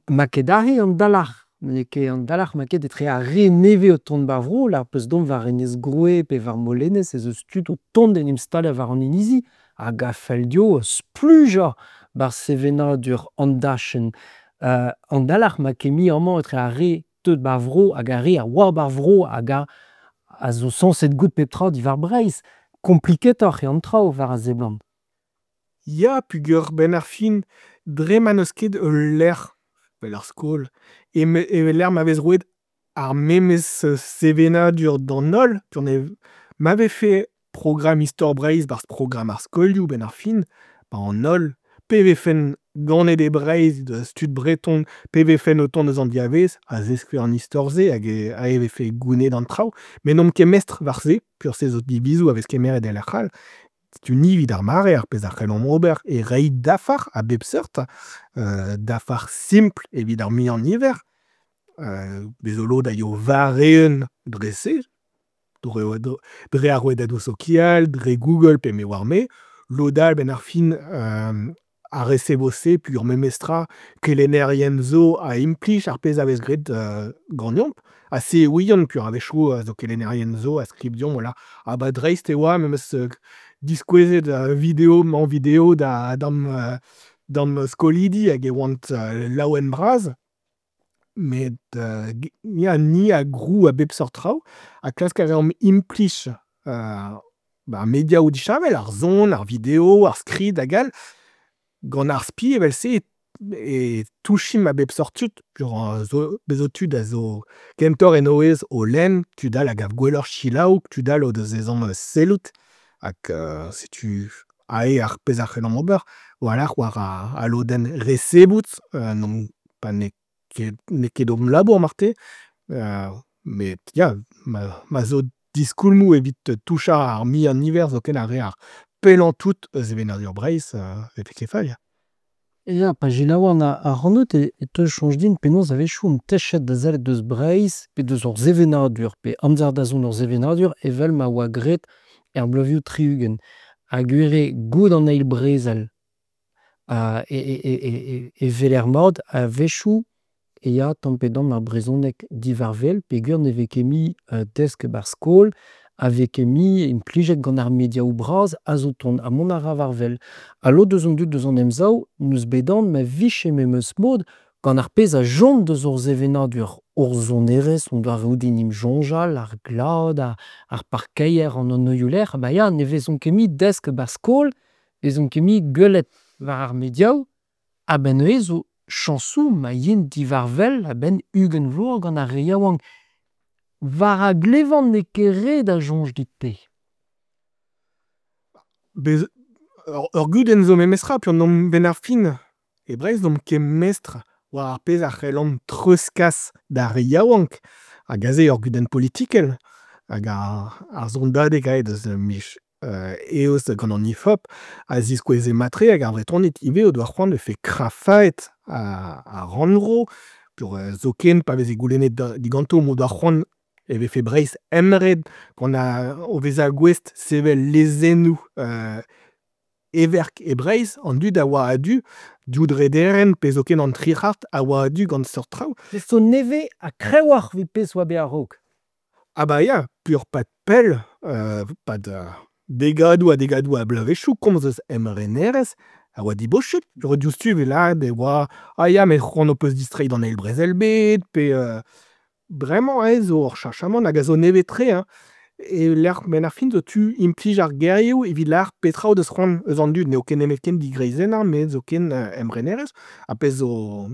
Speaker 1: 'ma ket aze an dalc'h, n'eo ket an dalc'h 'ma ket etre ar re nevez o tont 'ba 'r vro, lâr 'peus dont war Enez Groe pe war Molenez ez eus tud o tont d'en em staliañ war an inizi hag a fell dezho splujañ 'barzh sevenadur an dachenn. Euh, an dalc'h 'ma ket mui amañ etre ar re deuet 'ba 'r vro hag ar re a oa 'ba 'r vro hag a a zo sañset goût pep tra diwar Breizh. Kompliketoc'h eo an traoù war a seblant.
Speaker 2: Ya peogwir 'benn ar fin dre ma n'eus ket ul lec'h 'vel ar skol evel lec'h ma vez roet ar memes sevenadur d'an holl ma vefe programm istor Breizh 'barzh programm ar skolioù 'benn ar fin, 'ba an holl, pe vefent ganet e Breizh deus tud breton, pe vefent o tont eus an diavaez, a zeskfe an istor-se hag e vefe gounezet an traoù. Met n'omp ket mestr war se, peogwir se zo divizoù a vez kemeret e lec'h all. Setu ni evit ar mare ar pezh a c'hellomp ober eo reiñ dafar a bep seurt, dafar simpl evit ar muiañ-niver, bez zo lod a yo war-eeun dre-se, dre ar rouedadoù sokial, dre Google pe me 'oar-me. Lod all 'benn ar fin a resevo se peogwir memestra kelennerien zo a implij ar pezh a vez graet ganeomp. Ha se e ouian peogwir a-wechoù zo kelennerien zo a skriv deomp voilà ah bah dreist e oa memes diskouezet video-mañ-video da da'm da'm skolidi hag e oant laouen-bras. Met ya ni a grou a bep seurt traoù ha klask a reomp implij ba mediaoù disheñvel, ar son, ar video, ar skrid hag all, gant ar spi evel-se e touchimp a bep seurt tud. Peogwir bez zo tud a zo kentoc'h en o aes o lenn, tud all a gav gwelloc'h selaou, tud all o deus ezhomm sellout hag setu aze ar pezh a c'hellomp ober. War-lerc'h war al lodenn resebout n'omp pa n'eo ket n'eo ket hom labour marteze met ya ma ma zo diskoulmoù evit touchañ ar muiañ niver zoken ar re ar pellañ tout eus sevenadur Breizh e vefe ket fall ya.
Speaker 1: Ya, pa selaouan ac'hanout e teu soñj din penaos a-wechoù omp techet da sellet deus Breizh pe deus hor sevenadur pe amzer da zont hor sevenadur evel ma oa graet er bloavezhioù tri-ugent. Ha gwir eo goude an eil brezel e e weler mat a-wechoù e ya tamm-pe-damm ar brezhoneg diwar-wel peogwir ne vez ket mui desket 'ba 'r skol, a vez ket mui implijet gant ar mediaoù bras a zo 'tont ha mont a ra war-wel. Ha lod eus an dud eus an Emsav n'eus bet anv ma vije memes mod gant ar pezh a chom deus hor sevenadur Hor sonerezh, hon doareoù d'en em soñjal, ar glad, ar parkeier, an anvioù-lec'h, ba ya, ne vezont ket mui desket 'ba skol, ne vezont ket mui gwelet war ar mediaoù, a-benn neuze zo chañsoù ma yint diwar wel a-benn ugent vloaz gant ar re yaouank. War a glevan n'eo ket re da soñj dit-te.
Speaker 2: Bez ur gudenn zo memestra peogwir n'omp 'benn ar fin e Breizh n'omp ket mestr war ar pezh a c'hellomp treuzkas d'ar re yaouank hag aze eo ur gudenn politikel hag ar sondadeg aet eus miz Eost gant an Ifop a ziskoueze mat-tre hag ar Vretoned ivez o doa c'hoant e vefe krafaet ar rannvro peogwir zoken pa veze goulennet diganto m'o doa c'hoant e vefe Breizh emren gant ar o vezañ gouest sevel lezennoù heverk e Breizh, an dud a oa a-du, div drederenn pe zoken an tri c'hard a oa a-du gant seurt traoù.
Speaker 1: Se zo nevez ha kreñvoc'h evit pezh 'oa bet a-raok.
Speaker 2: Ah bah ya, peogwir 'pad pell, 'pad degadoù ha degadoù a bloavezhioù komz eus emrenerezh a oa dibosupl. Diouzhtu e vez lâret e oa ah ya met c'hoant ho peus distreiñ d'an eil brezel-bed pe bremañ aze zo ur cheñchamant hag a zo nevez-tre hein. E-lec'h 'benn ar fin zo tu implij ar gerioù evit lâr petra o deus c'hoant eus an dud n'eo ket nemetken digreizennañ met zoken emrenerezh ar pezh zo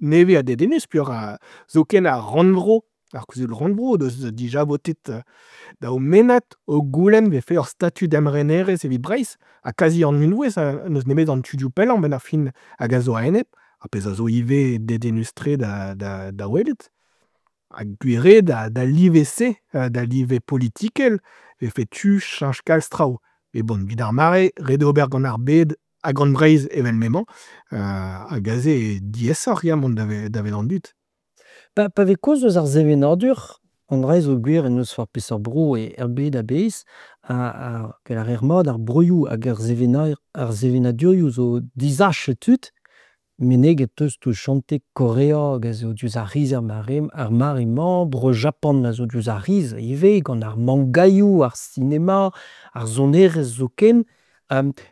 Speaker 2: nevez ha dedennus peogwir zoken ar rannvro, ar kuzul-rannvro o deus dija votet daou mennad o goulenn 'vefe ur statud emrenerezh evit Breizh ha kazi an unvouezh n'eus nemet an tudioù pellañ 'benn ar fin hag a zo a-enep, ar pezh a zo ivez dedennus-tre da da da welet. Ha gwir eo d'al live-se, d'al live politikel, e vefe tu cheñch kalz traoù. Met bon, evit ar mare, ret eo ober gant ar bed ha gant Breizh evel m'emañ, hag aze eo diaesoc'h ya mont davet an dud.
Speaker 1: Pa, pa vez kaoz eus ar sevenadur, an dra zo gwir en n'eus forzh peseurt bro er bed a-bezh, ha, ha gell a reer mat ar broioù hag ar ar sevenadurioù zo disachet tud. Meneget 'teus touchante Korea hag a zo diouzh ar c'hiz ar mare ar mare-mañ, Bro-Japan a zo diouzh ar c'hiz ivez gant ar mangaioù, ar sinema, ar sonerezh zoken.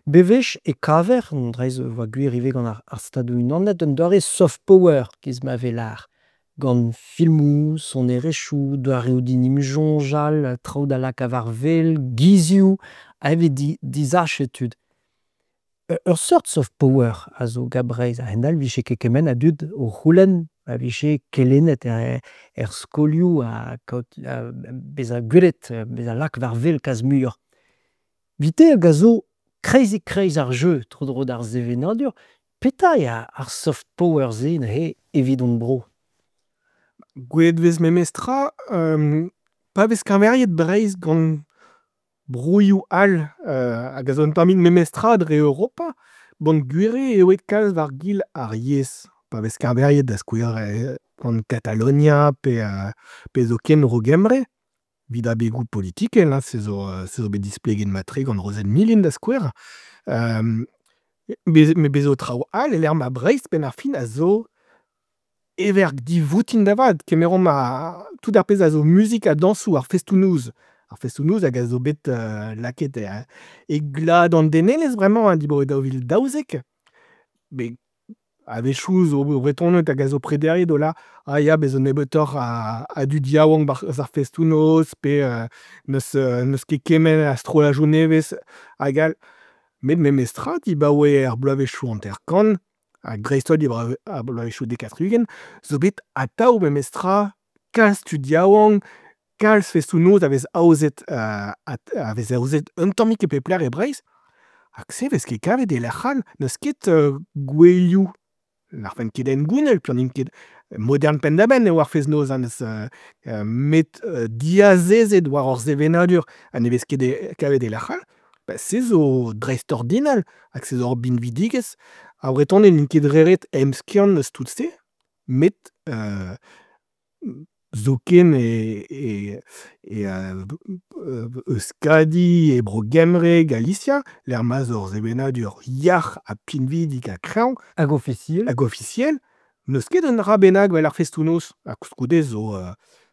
Speaker 1: Bewech e kaver, an dra-se a oa gwir ivez gant ar Stadoù-Unanet, un doare soft power 'giz ma vez lâr, gant filmoù, sonerezhioù, doareoù d'en em soñjal, traoù da lakaat war wel, gizioù, ha evit disachet tud. Ur seurt soft power a zo gant Breizh, a-hend-all ne vije ket kement a dud o c'houlenn ma vije kelennet er skolioù ha kaout bezañ gwelet, bezañ lakaet war wel kalz muioc'h. Evit-te hag a zo kreizik-kreiz ar jeu tro-dro d'ar sevenadur, petra eo ar soft power-se neuze evit hon bro?
Speaker 2: Gwelet 'vez memestra pa vez keñveriet Breizh gant broioù all hag a zo un tammig memestra dre Europa, bon gwir eo aet kalz war-gil ar yezh. Pa vez keñveriet da skouer gant Katalonia pe pe zoken Bro-Gembre, evit abegoù politikel hein, se zo se zo bet displeget mat-tre gant Rozenn Milin da skouer. Met bez zo traoù all e-lec'h ma Breizh 'benn ar fin a zo heverk divoutin da vat. Kemeromp ar tout ar pezh a zo muzik ha dañsoù, ar festoù-noz. Ar festoù-noz hag a zo bet lakaet e glad an denelezh bremañ hein, dibaoe daou vil daouzek. Met a-wechoù zo Bretoned hag a zo prederiet o lâr ah ya bez zo nebeutoc'h a a dud yaouank 'barzh ar festoù-noz pe n'eus n'eus ket kement a strolladoù nevez hag all. Met memestra dibaoe ar bloavezhioù hanter-kant ha dreist-holl dibaoe ar bloavezhioù dek ha tri-ugent zo bet atav memestra kalz tud yaouank, kalz festoù-noz a vez aozet a vez aozet un tammig e pep lec'h e Breizh. Hag se 'vez ket kavet e lec'h all, n'eus ket gouelioù n'arfen ket hengounel peogwir n'int ket modern penn-da-benn eo ar fest-noz hein, n'eus met diazezet war hor sevenadur ha ne vez ket kavet e lec'h all, ba se zo dreistordinal hag se zo ur binvidigezh. Ar Vretoned n'int ket dre ret emskiant eus tout-se, met zoken e e e Euskadi, e Bro-Gembre, Galisia, lec'h ma'z eo ur sevenadur yac'h ha pinvidik ha kreñv.
Speaker 1: Hag ofisiel.
Speaker 2: Hag ofisiel, n'eus ket un dra bennak 'vel ar festoù-noz. Ha koulskoude zo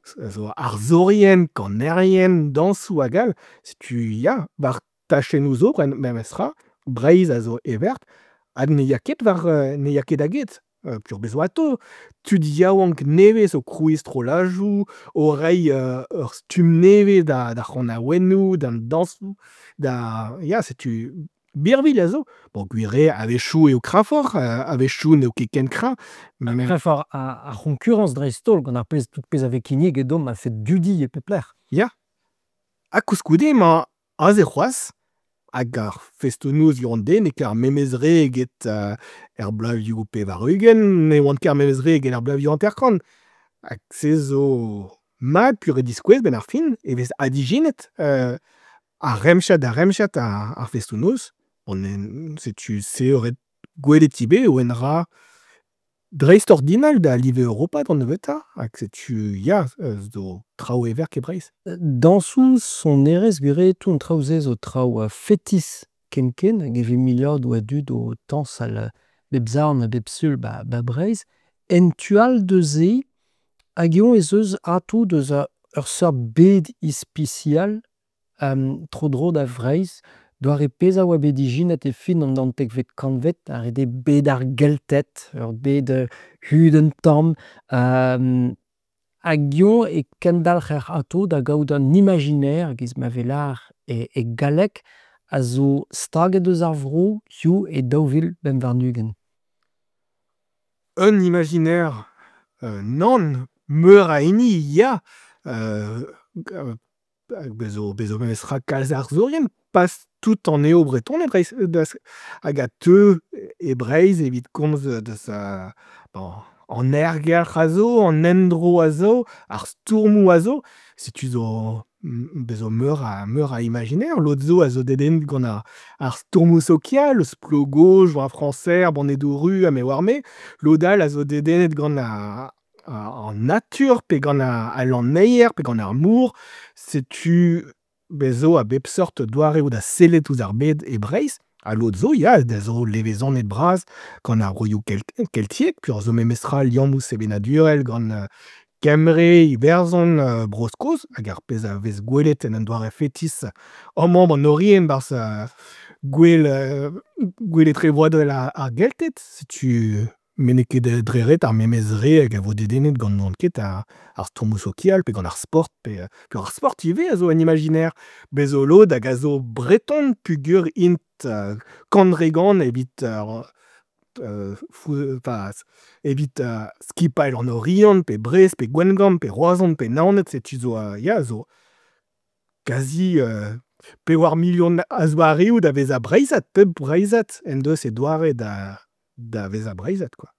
Speaker 2: zo arzourien, kanerien, dañsoù hag all. Setu ya, war tachennoù zo memestra, Breizh a zo heverk hag ne ya ket war ne ya ket da get. Peogwir bez zo atav tud yaouank nevez o krouiñ strolladoù, o reiñ ur stumm nevez d'ar c'hanaouennoù, d'an dañsoù, da ya setu birvilh a zo. Bon gwir eo a-wechoù eo kreñvoc'h, a-wechoù n'eo ket ken kreñv.
Speaker 1: Kreñvoc'h ar c'hoñkurañs dreist-holl gant ar pezh tout pezh a vez kinniget deomp a-fet dudi e pep lec'h.
Speaker 2: Ya, ha koulskoude emañ aze c'hoazh hag ar festoù-noz du-hont n'eo ket ar memes re eget er bloavezhioù pevar-ugent, ne oant ket ar memes re eget ar bloavezhioù hanter-kant. Hag se zo mat peogwir e diskouez 'benn ar fin e vez adijinet a remziad da remziad ar festoù-noz. Bon setu se eo ret gwelet ivez eo un dra dreistordinal da live europat an nebeutañ hag setu ya zo traoù heverk e Breizh.
Speaker 1: Dañsoù, sonerezh, gwir eo tout an traoù-se zo traoù fetis ken-ken hag e vez miliadoù a dud o tañsal bep sadorn ha bep sul 'ba 'ba Breizh. En tu all deus se, hag eñ ez eus atav deus ur seurt bed ispisial tro-dro da Vreizh, doare pezh a oa bet ijinet e fin an naontekvet kantved, a rede bed ar Gelted, ur bed hud un tamm, hag eñ e kendalc'her atav da gaout an imaginaire e-giz ma vez lâr e galleg, a zo staget eus ar vro hiziv e daou vil pemp warn-ugent.
Speaker 2: Un imaginaire nann, meur a hini ya bez zo bez zo memestra kalz arzourien, pas tout anezho Bretoned hag a teu e Breizh evit komz deus an aergelc'h a zo, an endro a zo, ar stourmoù a zo, setu zo bez zo meur a meur a imaginaire, lod zo a zo dedennet gant ar stourmoù sokial, eus Plogo, Joa Frañser, ar Bonedoù ruz ha me 'oar-me, lod all a zo dedennet gant an natur pe gant al lanneier pe gant ar mor, setu bez zo a bep seurt doareoù da sellet ouzh ar bed e Breizh, ha lod zo ya, a zo levezonet-bras gant ar broioù keltiek peogwir zo memestra liammoù sevenadurel gant Kembre, Iwerzhon, Bro-Skos hag ar pezh a vez gwelet en un doare fetis amañ 'ba 'n Oriant 'barzh gouel gouel etrebroadel ar Gelted, setu met n'eo ket dre ret ar memes re hag a vo dedennet gant n'onn ket ar stourmoù sokial pe gant ar sport pe ar sport ivez a zo un imaginaire. Bez zo lod hag a zo breton peogwir int kant dre gant evit evit skipailh an Oriant pe Brest pe Gwengamp pe Roazhon pe Naoned setu zo ya zo kazi pevar milion a zoareoù da vezañ Breizhad, pep Breizhad en deus e doare da da vezañ Breizhad kwa.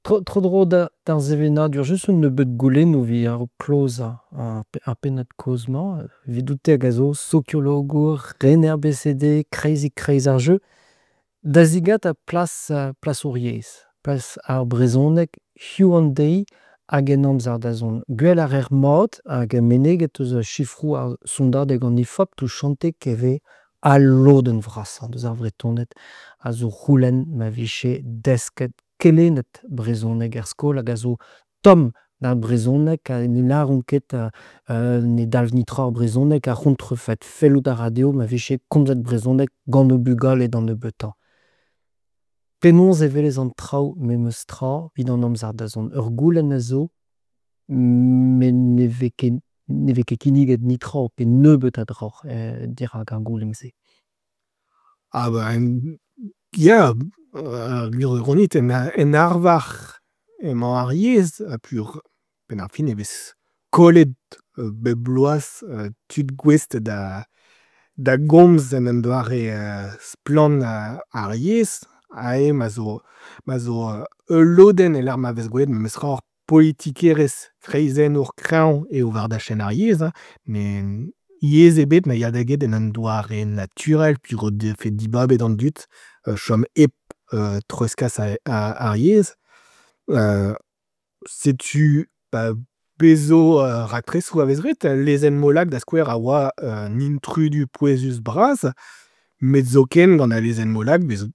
Speaker 1: Tro-dro d'ar sevenadur, just un nebeud goulennoù evit a-raok klozañ ar pennad-kaoz-mañ. Evidout-te hag a zo sokiologour, rener B C D, kreizig-kreiz ar jeu, da zegas plas plas hor yezh, plas ar brezhoneg hiziv an deiz hag en amzer da zont. Gwell a reer mat hag meneget eus sifroù ar sondadeg an Ifop touchantek e vez al lodenn vrasañ deus ar Vretoned a zo c'houlenn ma vije desket kelennet brezhoneg er skol hag a zo tomm d'ar brezhoneg ha ne lâront ket ne dalv netra ar brezhoneg ar c'hontrefed. Fellout a ra dezho ma vije komzet brezhoneg gant o bugale d'an nebeutañ. Penaos e welez an traoù memes tra evit an amzer da zont ? Ur goulenn a zo met ne vez ket ne vez ket kinniget netra pe nebeut a draoù dirak ar goulenn-se.
Speaker 2: Ah ben ya, gwir eo ganit en arvar emañ ar yezh ha peogwir 'benn ar fin e vez kollet bep bloaz tud gouest da da gomz en un doare splann ar yezh. Aze ma zo ma zo ul lodenn e-lec'h ma vez gwelet memestra ur politikerezh kreizennour kreñv eo war dachenn ar yezh hein, met yezh ebet na ya da get en un doare naturel peogwir o defe dibabet an dud chom hep treuzkas ar yezh. Setu pezh zo raktresoù a vez graet, lezenn Molac da skouer a oa un intrudu pouezus-bras, met zoken gant al lezenn Molac bez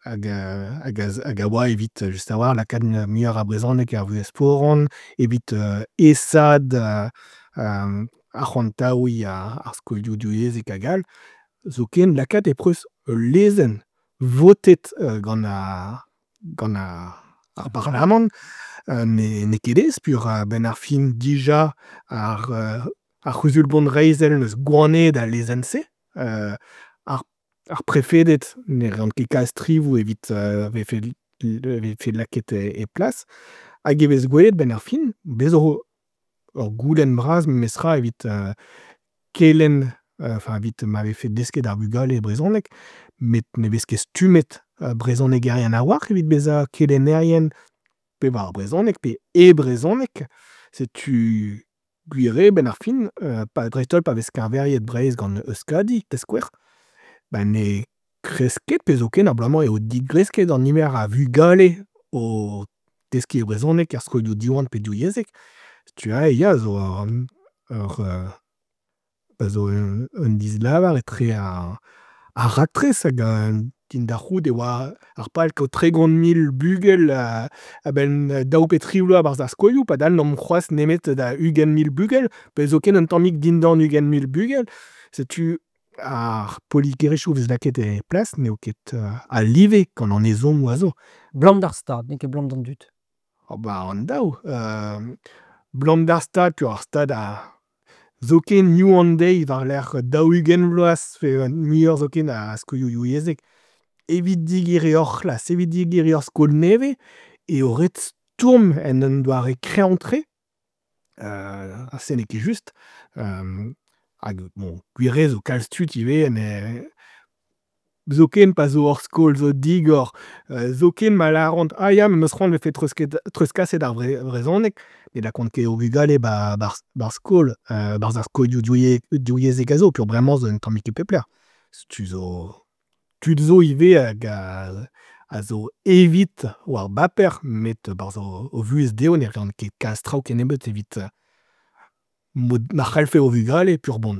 Speaker 2: hag hag a oa evit just a-walc'h lakaat muioc'h a brezhoneg er vuhez foran, evit aesaat arc'hantaouiñ ar skolioù divyezhek hag all, zoken lakaat e peus ul lezenn votet gant ar gant ar parlamant n'eo ket aes peogwir a-benn ar fin dija ar ar c'huzul bonreizhel 'neus gwanaet al lezenn-se ar ar prefeded ne reont ket kalz strivoù evit 'vefe 'vefe lakaet e plas hag e vez gwelet 'benn ar fin bez 'zo ur goulenn bras memestra evit kelenn enfin evit ma vefe desket d'ar vugale brezhoneg met ne vez ket stummet brezhonegerien a-walc'h evit bezañ kelennerien pe war ar brezhoneg pe e brezhoneg. Setu gwir eo 'benn ar fin pa dreist-holl pa vez keñveriet Breizh gant Euskadi da skouer ba ne kresk ket pe zoken abalamour eo digresket an niver a vugale o teskiñ brezhoneg er skolioù Diwan pe divyezhek. Setu aze ya zo ur zo un dislavar etre ar ar raktres hag din da c'hoût e oa ar pal kaout tregont mil bugel a-benn daou pe tri bloaz 'barzh ar skolioù padal n'omp c'hoazh nemet da ugent mil bugel pe zoken un tammig dindan ugent mil bugel. Setu ar politikerezhioù 'vez lakaet e plas n'eo ket a-live gant an ezhommoù a zo.
Speaker 1: 'Blam d'ar Stad, n'eo ket 'blam d'an dud.
Speaker 2: Oh ba an daou, 'blam d'ar Stad peogwir ar Stad a zoken hiziv an deiz war-lerc'h daou-ugent vloaz pe muioc'h zoken a skolioù divyezhek, evit digeriñ ur c'hlas, evit digeriñ ur skol nevez eo ret stourm en un doare kreñv-tre ha se n'eo ket just. Hag bon gwir eo zo kalz tud ivez zoken pa zo ur skol zo digor, zoken ma lâront ah ya me 'meus c'hoant 'vefe treuzkaset ar brezhoneg ne lakaont ket o bugale 'ba 'barzh skol, 'barzh ar skolioù divyezhek a zo peogwir bremañ zo un tammig e pep lec'h. Setu zo tud zo ivez hag a zo evit war baper met 'barzh o vuhez dezho ne reont ket kalz traoù kennebeut evit mod ma c'hallfe o vugale peogwir bon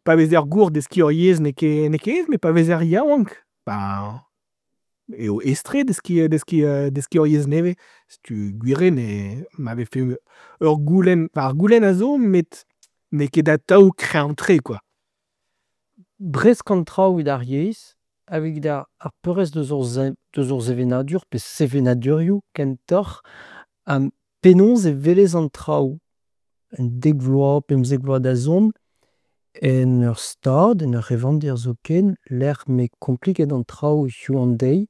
Speaker 2: pa vezer gour deskiñ ur yezh n'eo ket n'eo ket aes met pa vezer yaouank beñ eo aes-tre deskiñ deskiñ deskiñ ur yezh nevez. Setu gwir eo ne ma vefe ur goulenn, enfin ar goulenn a zo met n'eo ket atav kreñv-tre kwa.
Speaker 1: Bresk an traoù evit ar yezh hag evit ar peurrest eus hor eus hor sevenadur pe sevenadurioù kentoc'h. Penaos e welez an traoù un dek vloaz, pemzek vloaz da zont en ur stad, en ur c'hevandir zoken, lec'h m'eo kompliket an traoù hiziv an deiz.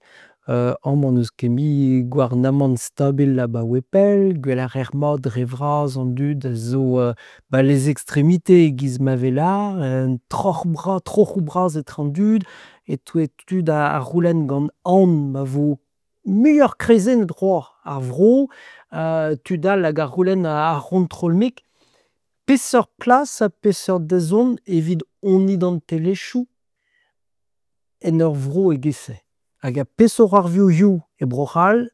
Speaker 1: Amañ n'eus ket mui gouarnamant stabil abaoe pell, gwell a reer mat dre vras an dud a zo ba les extrémités e-giz ma vez lâret, un troc'h bras, troc'hoù bras etre an dud, e-touez tud a c'houlenn gant aon ma vo muioc'h kreizennet c'hoazh ar vro, tud all hag a c'houlenn ar c'hontrol-mik. Peseurt plas ha peseurt dazont evit hon identelezhioù en ur vro e-giz-se? Hag ha peseurt c'hoarvezho hiziv e Bro-C'hall,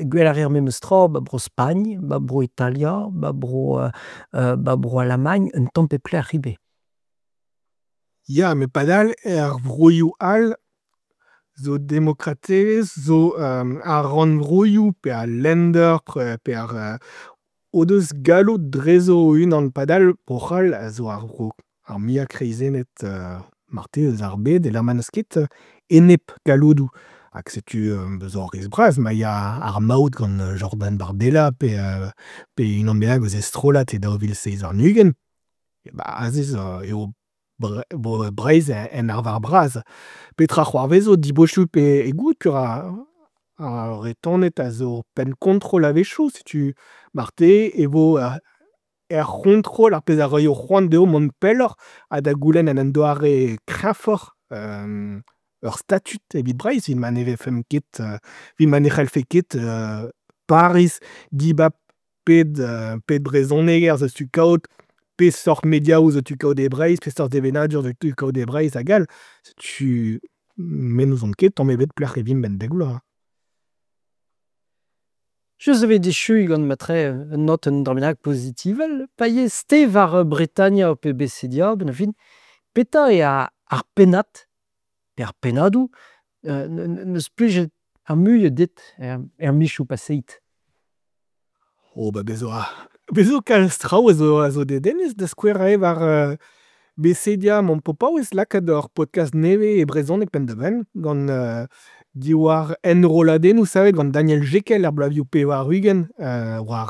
Speaker 1: gwell a reer memes tra 'ba Bro-Spagn, 'ba Bro-Italia, 'ba Bro 'ba Bro-Alamagn, un tamm pep lec'h ivez.
Speaker 2: Ya met padal er vroioù all zo demokratelezh, zo ar rannvroioù pe al Länder pe ar o deus galloud drezo o-unan padal Bro-C'hall a zo ar vro ar muiañ kreizennet marteze eus ar bed e-lec'h ma n'eus ket enep galloudoù. Hag setu zo ur riskl bras ma ya ar maout gant Jordan Bardella pe pe unan bennak eus e strollad e daou vil seizh warn-ugent, ba aze zo eo Breizh en arvar bras. Petra c'hoarvezo dibosupl eo goût peogwir ar Vretoned a zo penn-kontrol a-wechoù setu marteze e vo er c'hontrol ar pezh a roio c'hoant dezho mont pelloc'h ha da goulenn en un doare kreñvoc'h ur statud evit Breizh evit ma ne vefemp ket evit ma ne c'hallfe ket Pariz dibab pet pet brezhoneger zo tu kaout, peseurt mediaoù zo tu kaout e Breizh, peseurt sevenadur zo tu kaout e Breizh hag all. Setu me n'ouzon ket tamm ebet pelec'h e vimp 'benn dek vloaz.
Speaker 1: Just evit echuiñ gant matre un notenn dra bennak pozitivel, pa yez-te war Bretania pe Bessedia, benn ar fin, petra eo ar pennad pe ar pennadoù 'neus plijet ar muiañ dit er mizioù paseet?
Speaker 2: Oh ba bez zo bez zo kalz traoù a zo a zo dedennus da skouer aze war Becedia emaomp o paouez lakaat ur podkast nevez e brezhoneg penn-da-benn gant diwar enrolladennoù savet gant Daniel Jekel er bloavezhioù pevar-ugent war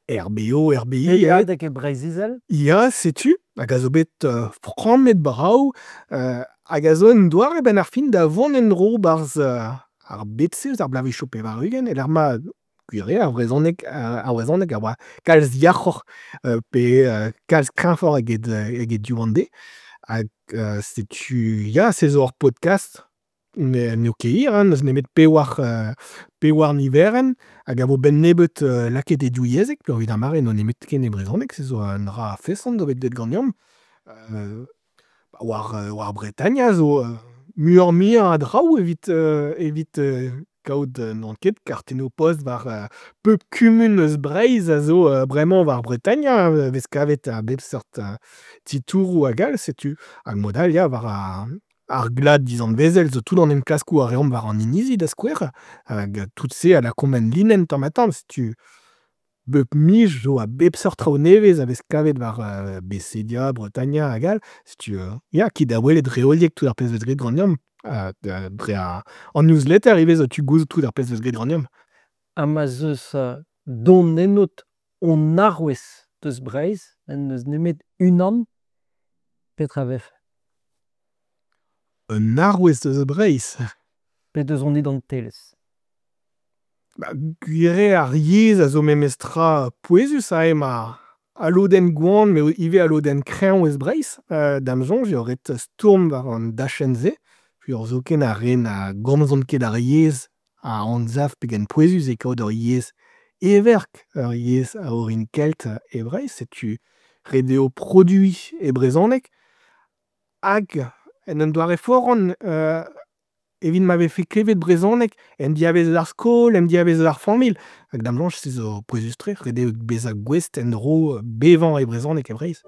Speaker 2: R B O, R B I.
Speaker 1: Beilhadeg e Breizh-Izel.
Speaker 2: Ya, setu, hag a zo bet frammet brav, hag a zo un doare 'benn ar fin da vont en-dro 'barzh ar bed-se eus ar bloavezhioù pevar-ugent e-lec'h ma gwir eo ar brezhoneg ar brezhoneg a oa kalz yac'hoc'h pe kalz kreñvoc'h eget eget hiziv an deiz. Hag setu ya, se zo ur podkast n'eo ket hir hein, n'eus nemet pewar pewar niverenn hag a vo 'benn nebeut lakaet e divyezhek peogwir d'ar mare n'eo nemetken e brezhoneg, se zo un dra a-feson zo bet deuet ganeomp. War war Bretania zo muioc'h-muiañ a draoù evit evit kaout n'on ket kartennoù-post war pep kumun eus Breizh a zo bremañ war Bretania e vez kavet a bep seurt titouroù hag all setu. Hag mod all ya war ar ar glad dizanvezel zo tout an enklaskoù a reomp war an inizi da skouer hag tout se a lakaomp en linenn tamm-ha-tamm setu bep miz zo a bep seurt traoù nevez a vez kavet war Becedia, Bretania hag all. Setu ya, kit da welet reoliek tout ar pezh 'vez graet ganeomp dre an newsletter ivez zo tu gouzout tout ar pezh 'vez graet ganeomp.
Speaker 1: Ha ma 'z eus don ennout hon arouez deus Breizh, n'eus nemet unan, petra 'vefe?
Speaker 2: Un arouez deus Breizh?
Speaker 1: Pe deus hon identelezh?
Speaker 2: Ba gwir eo ar yezh a zo memestra pouezus aze ma al lodenn goant met ivez al lodenn kreñv eus Breizh. Da'm soñj eo ret stourm war an dachenn-se peogwir zoken ar re na gomzont ket ar yezh a anzav pegen pouezus eo kaout ur yezh heverk, ur yezh a orin kelt e Breizh. Setu ret eo produiñ e brezhoneg hag en un doare foran evit ma vefe klevet brezhoneg en diavaez eus ar skol, en diavaez eus ar familh. Hag da'm soñj se zo pouezus-tre, ret eo bezañ gouest en-dro bevañ e brezhoneg e Breizh.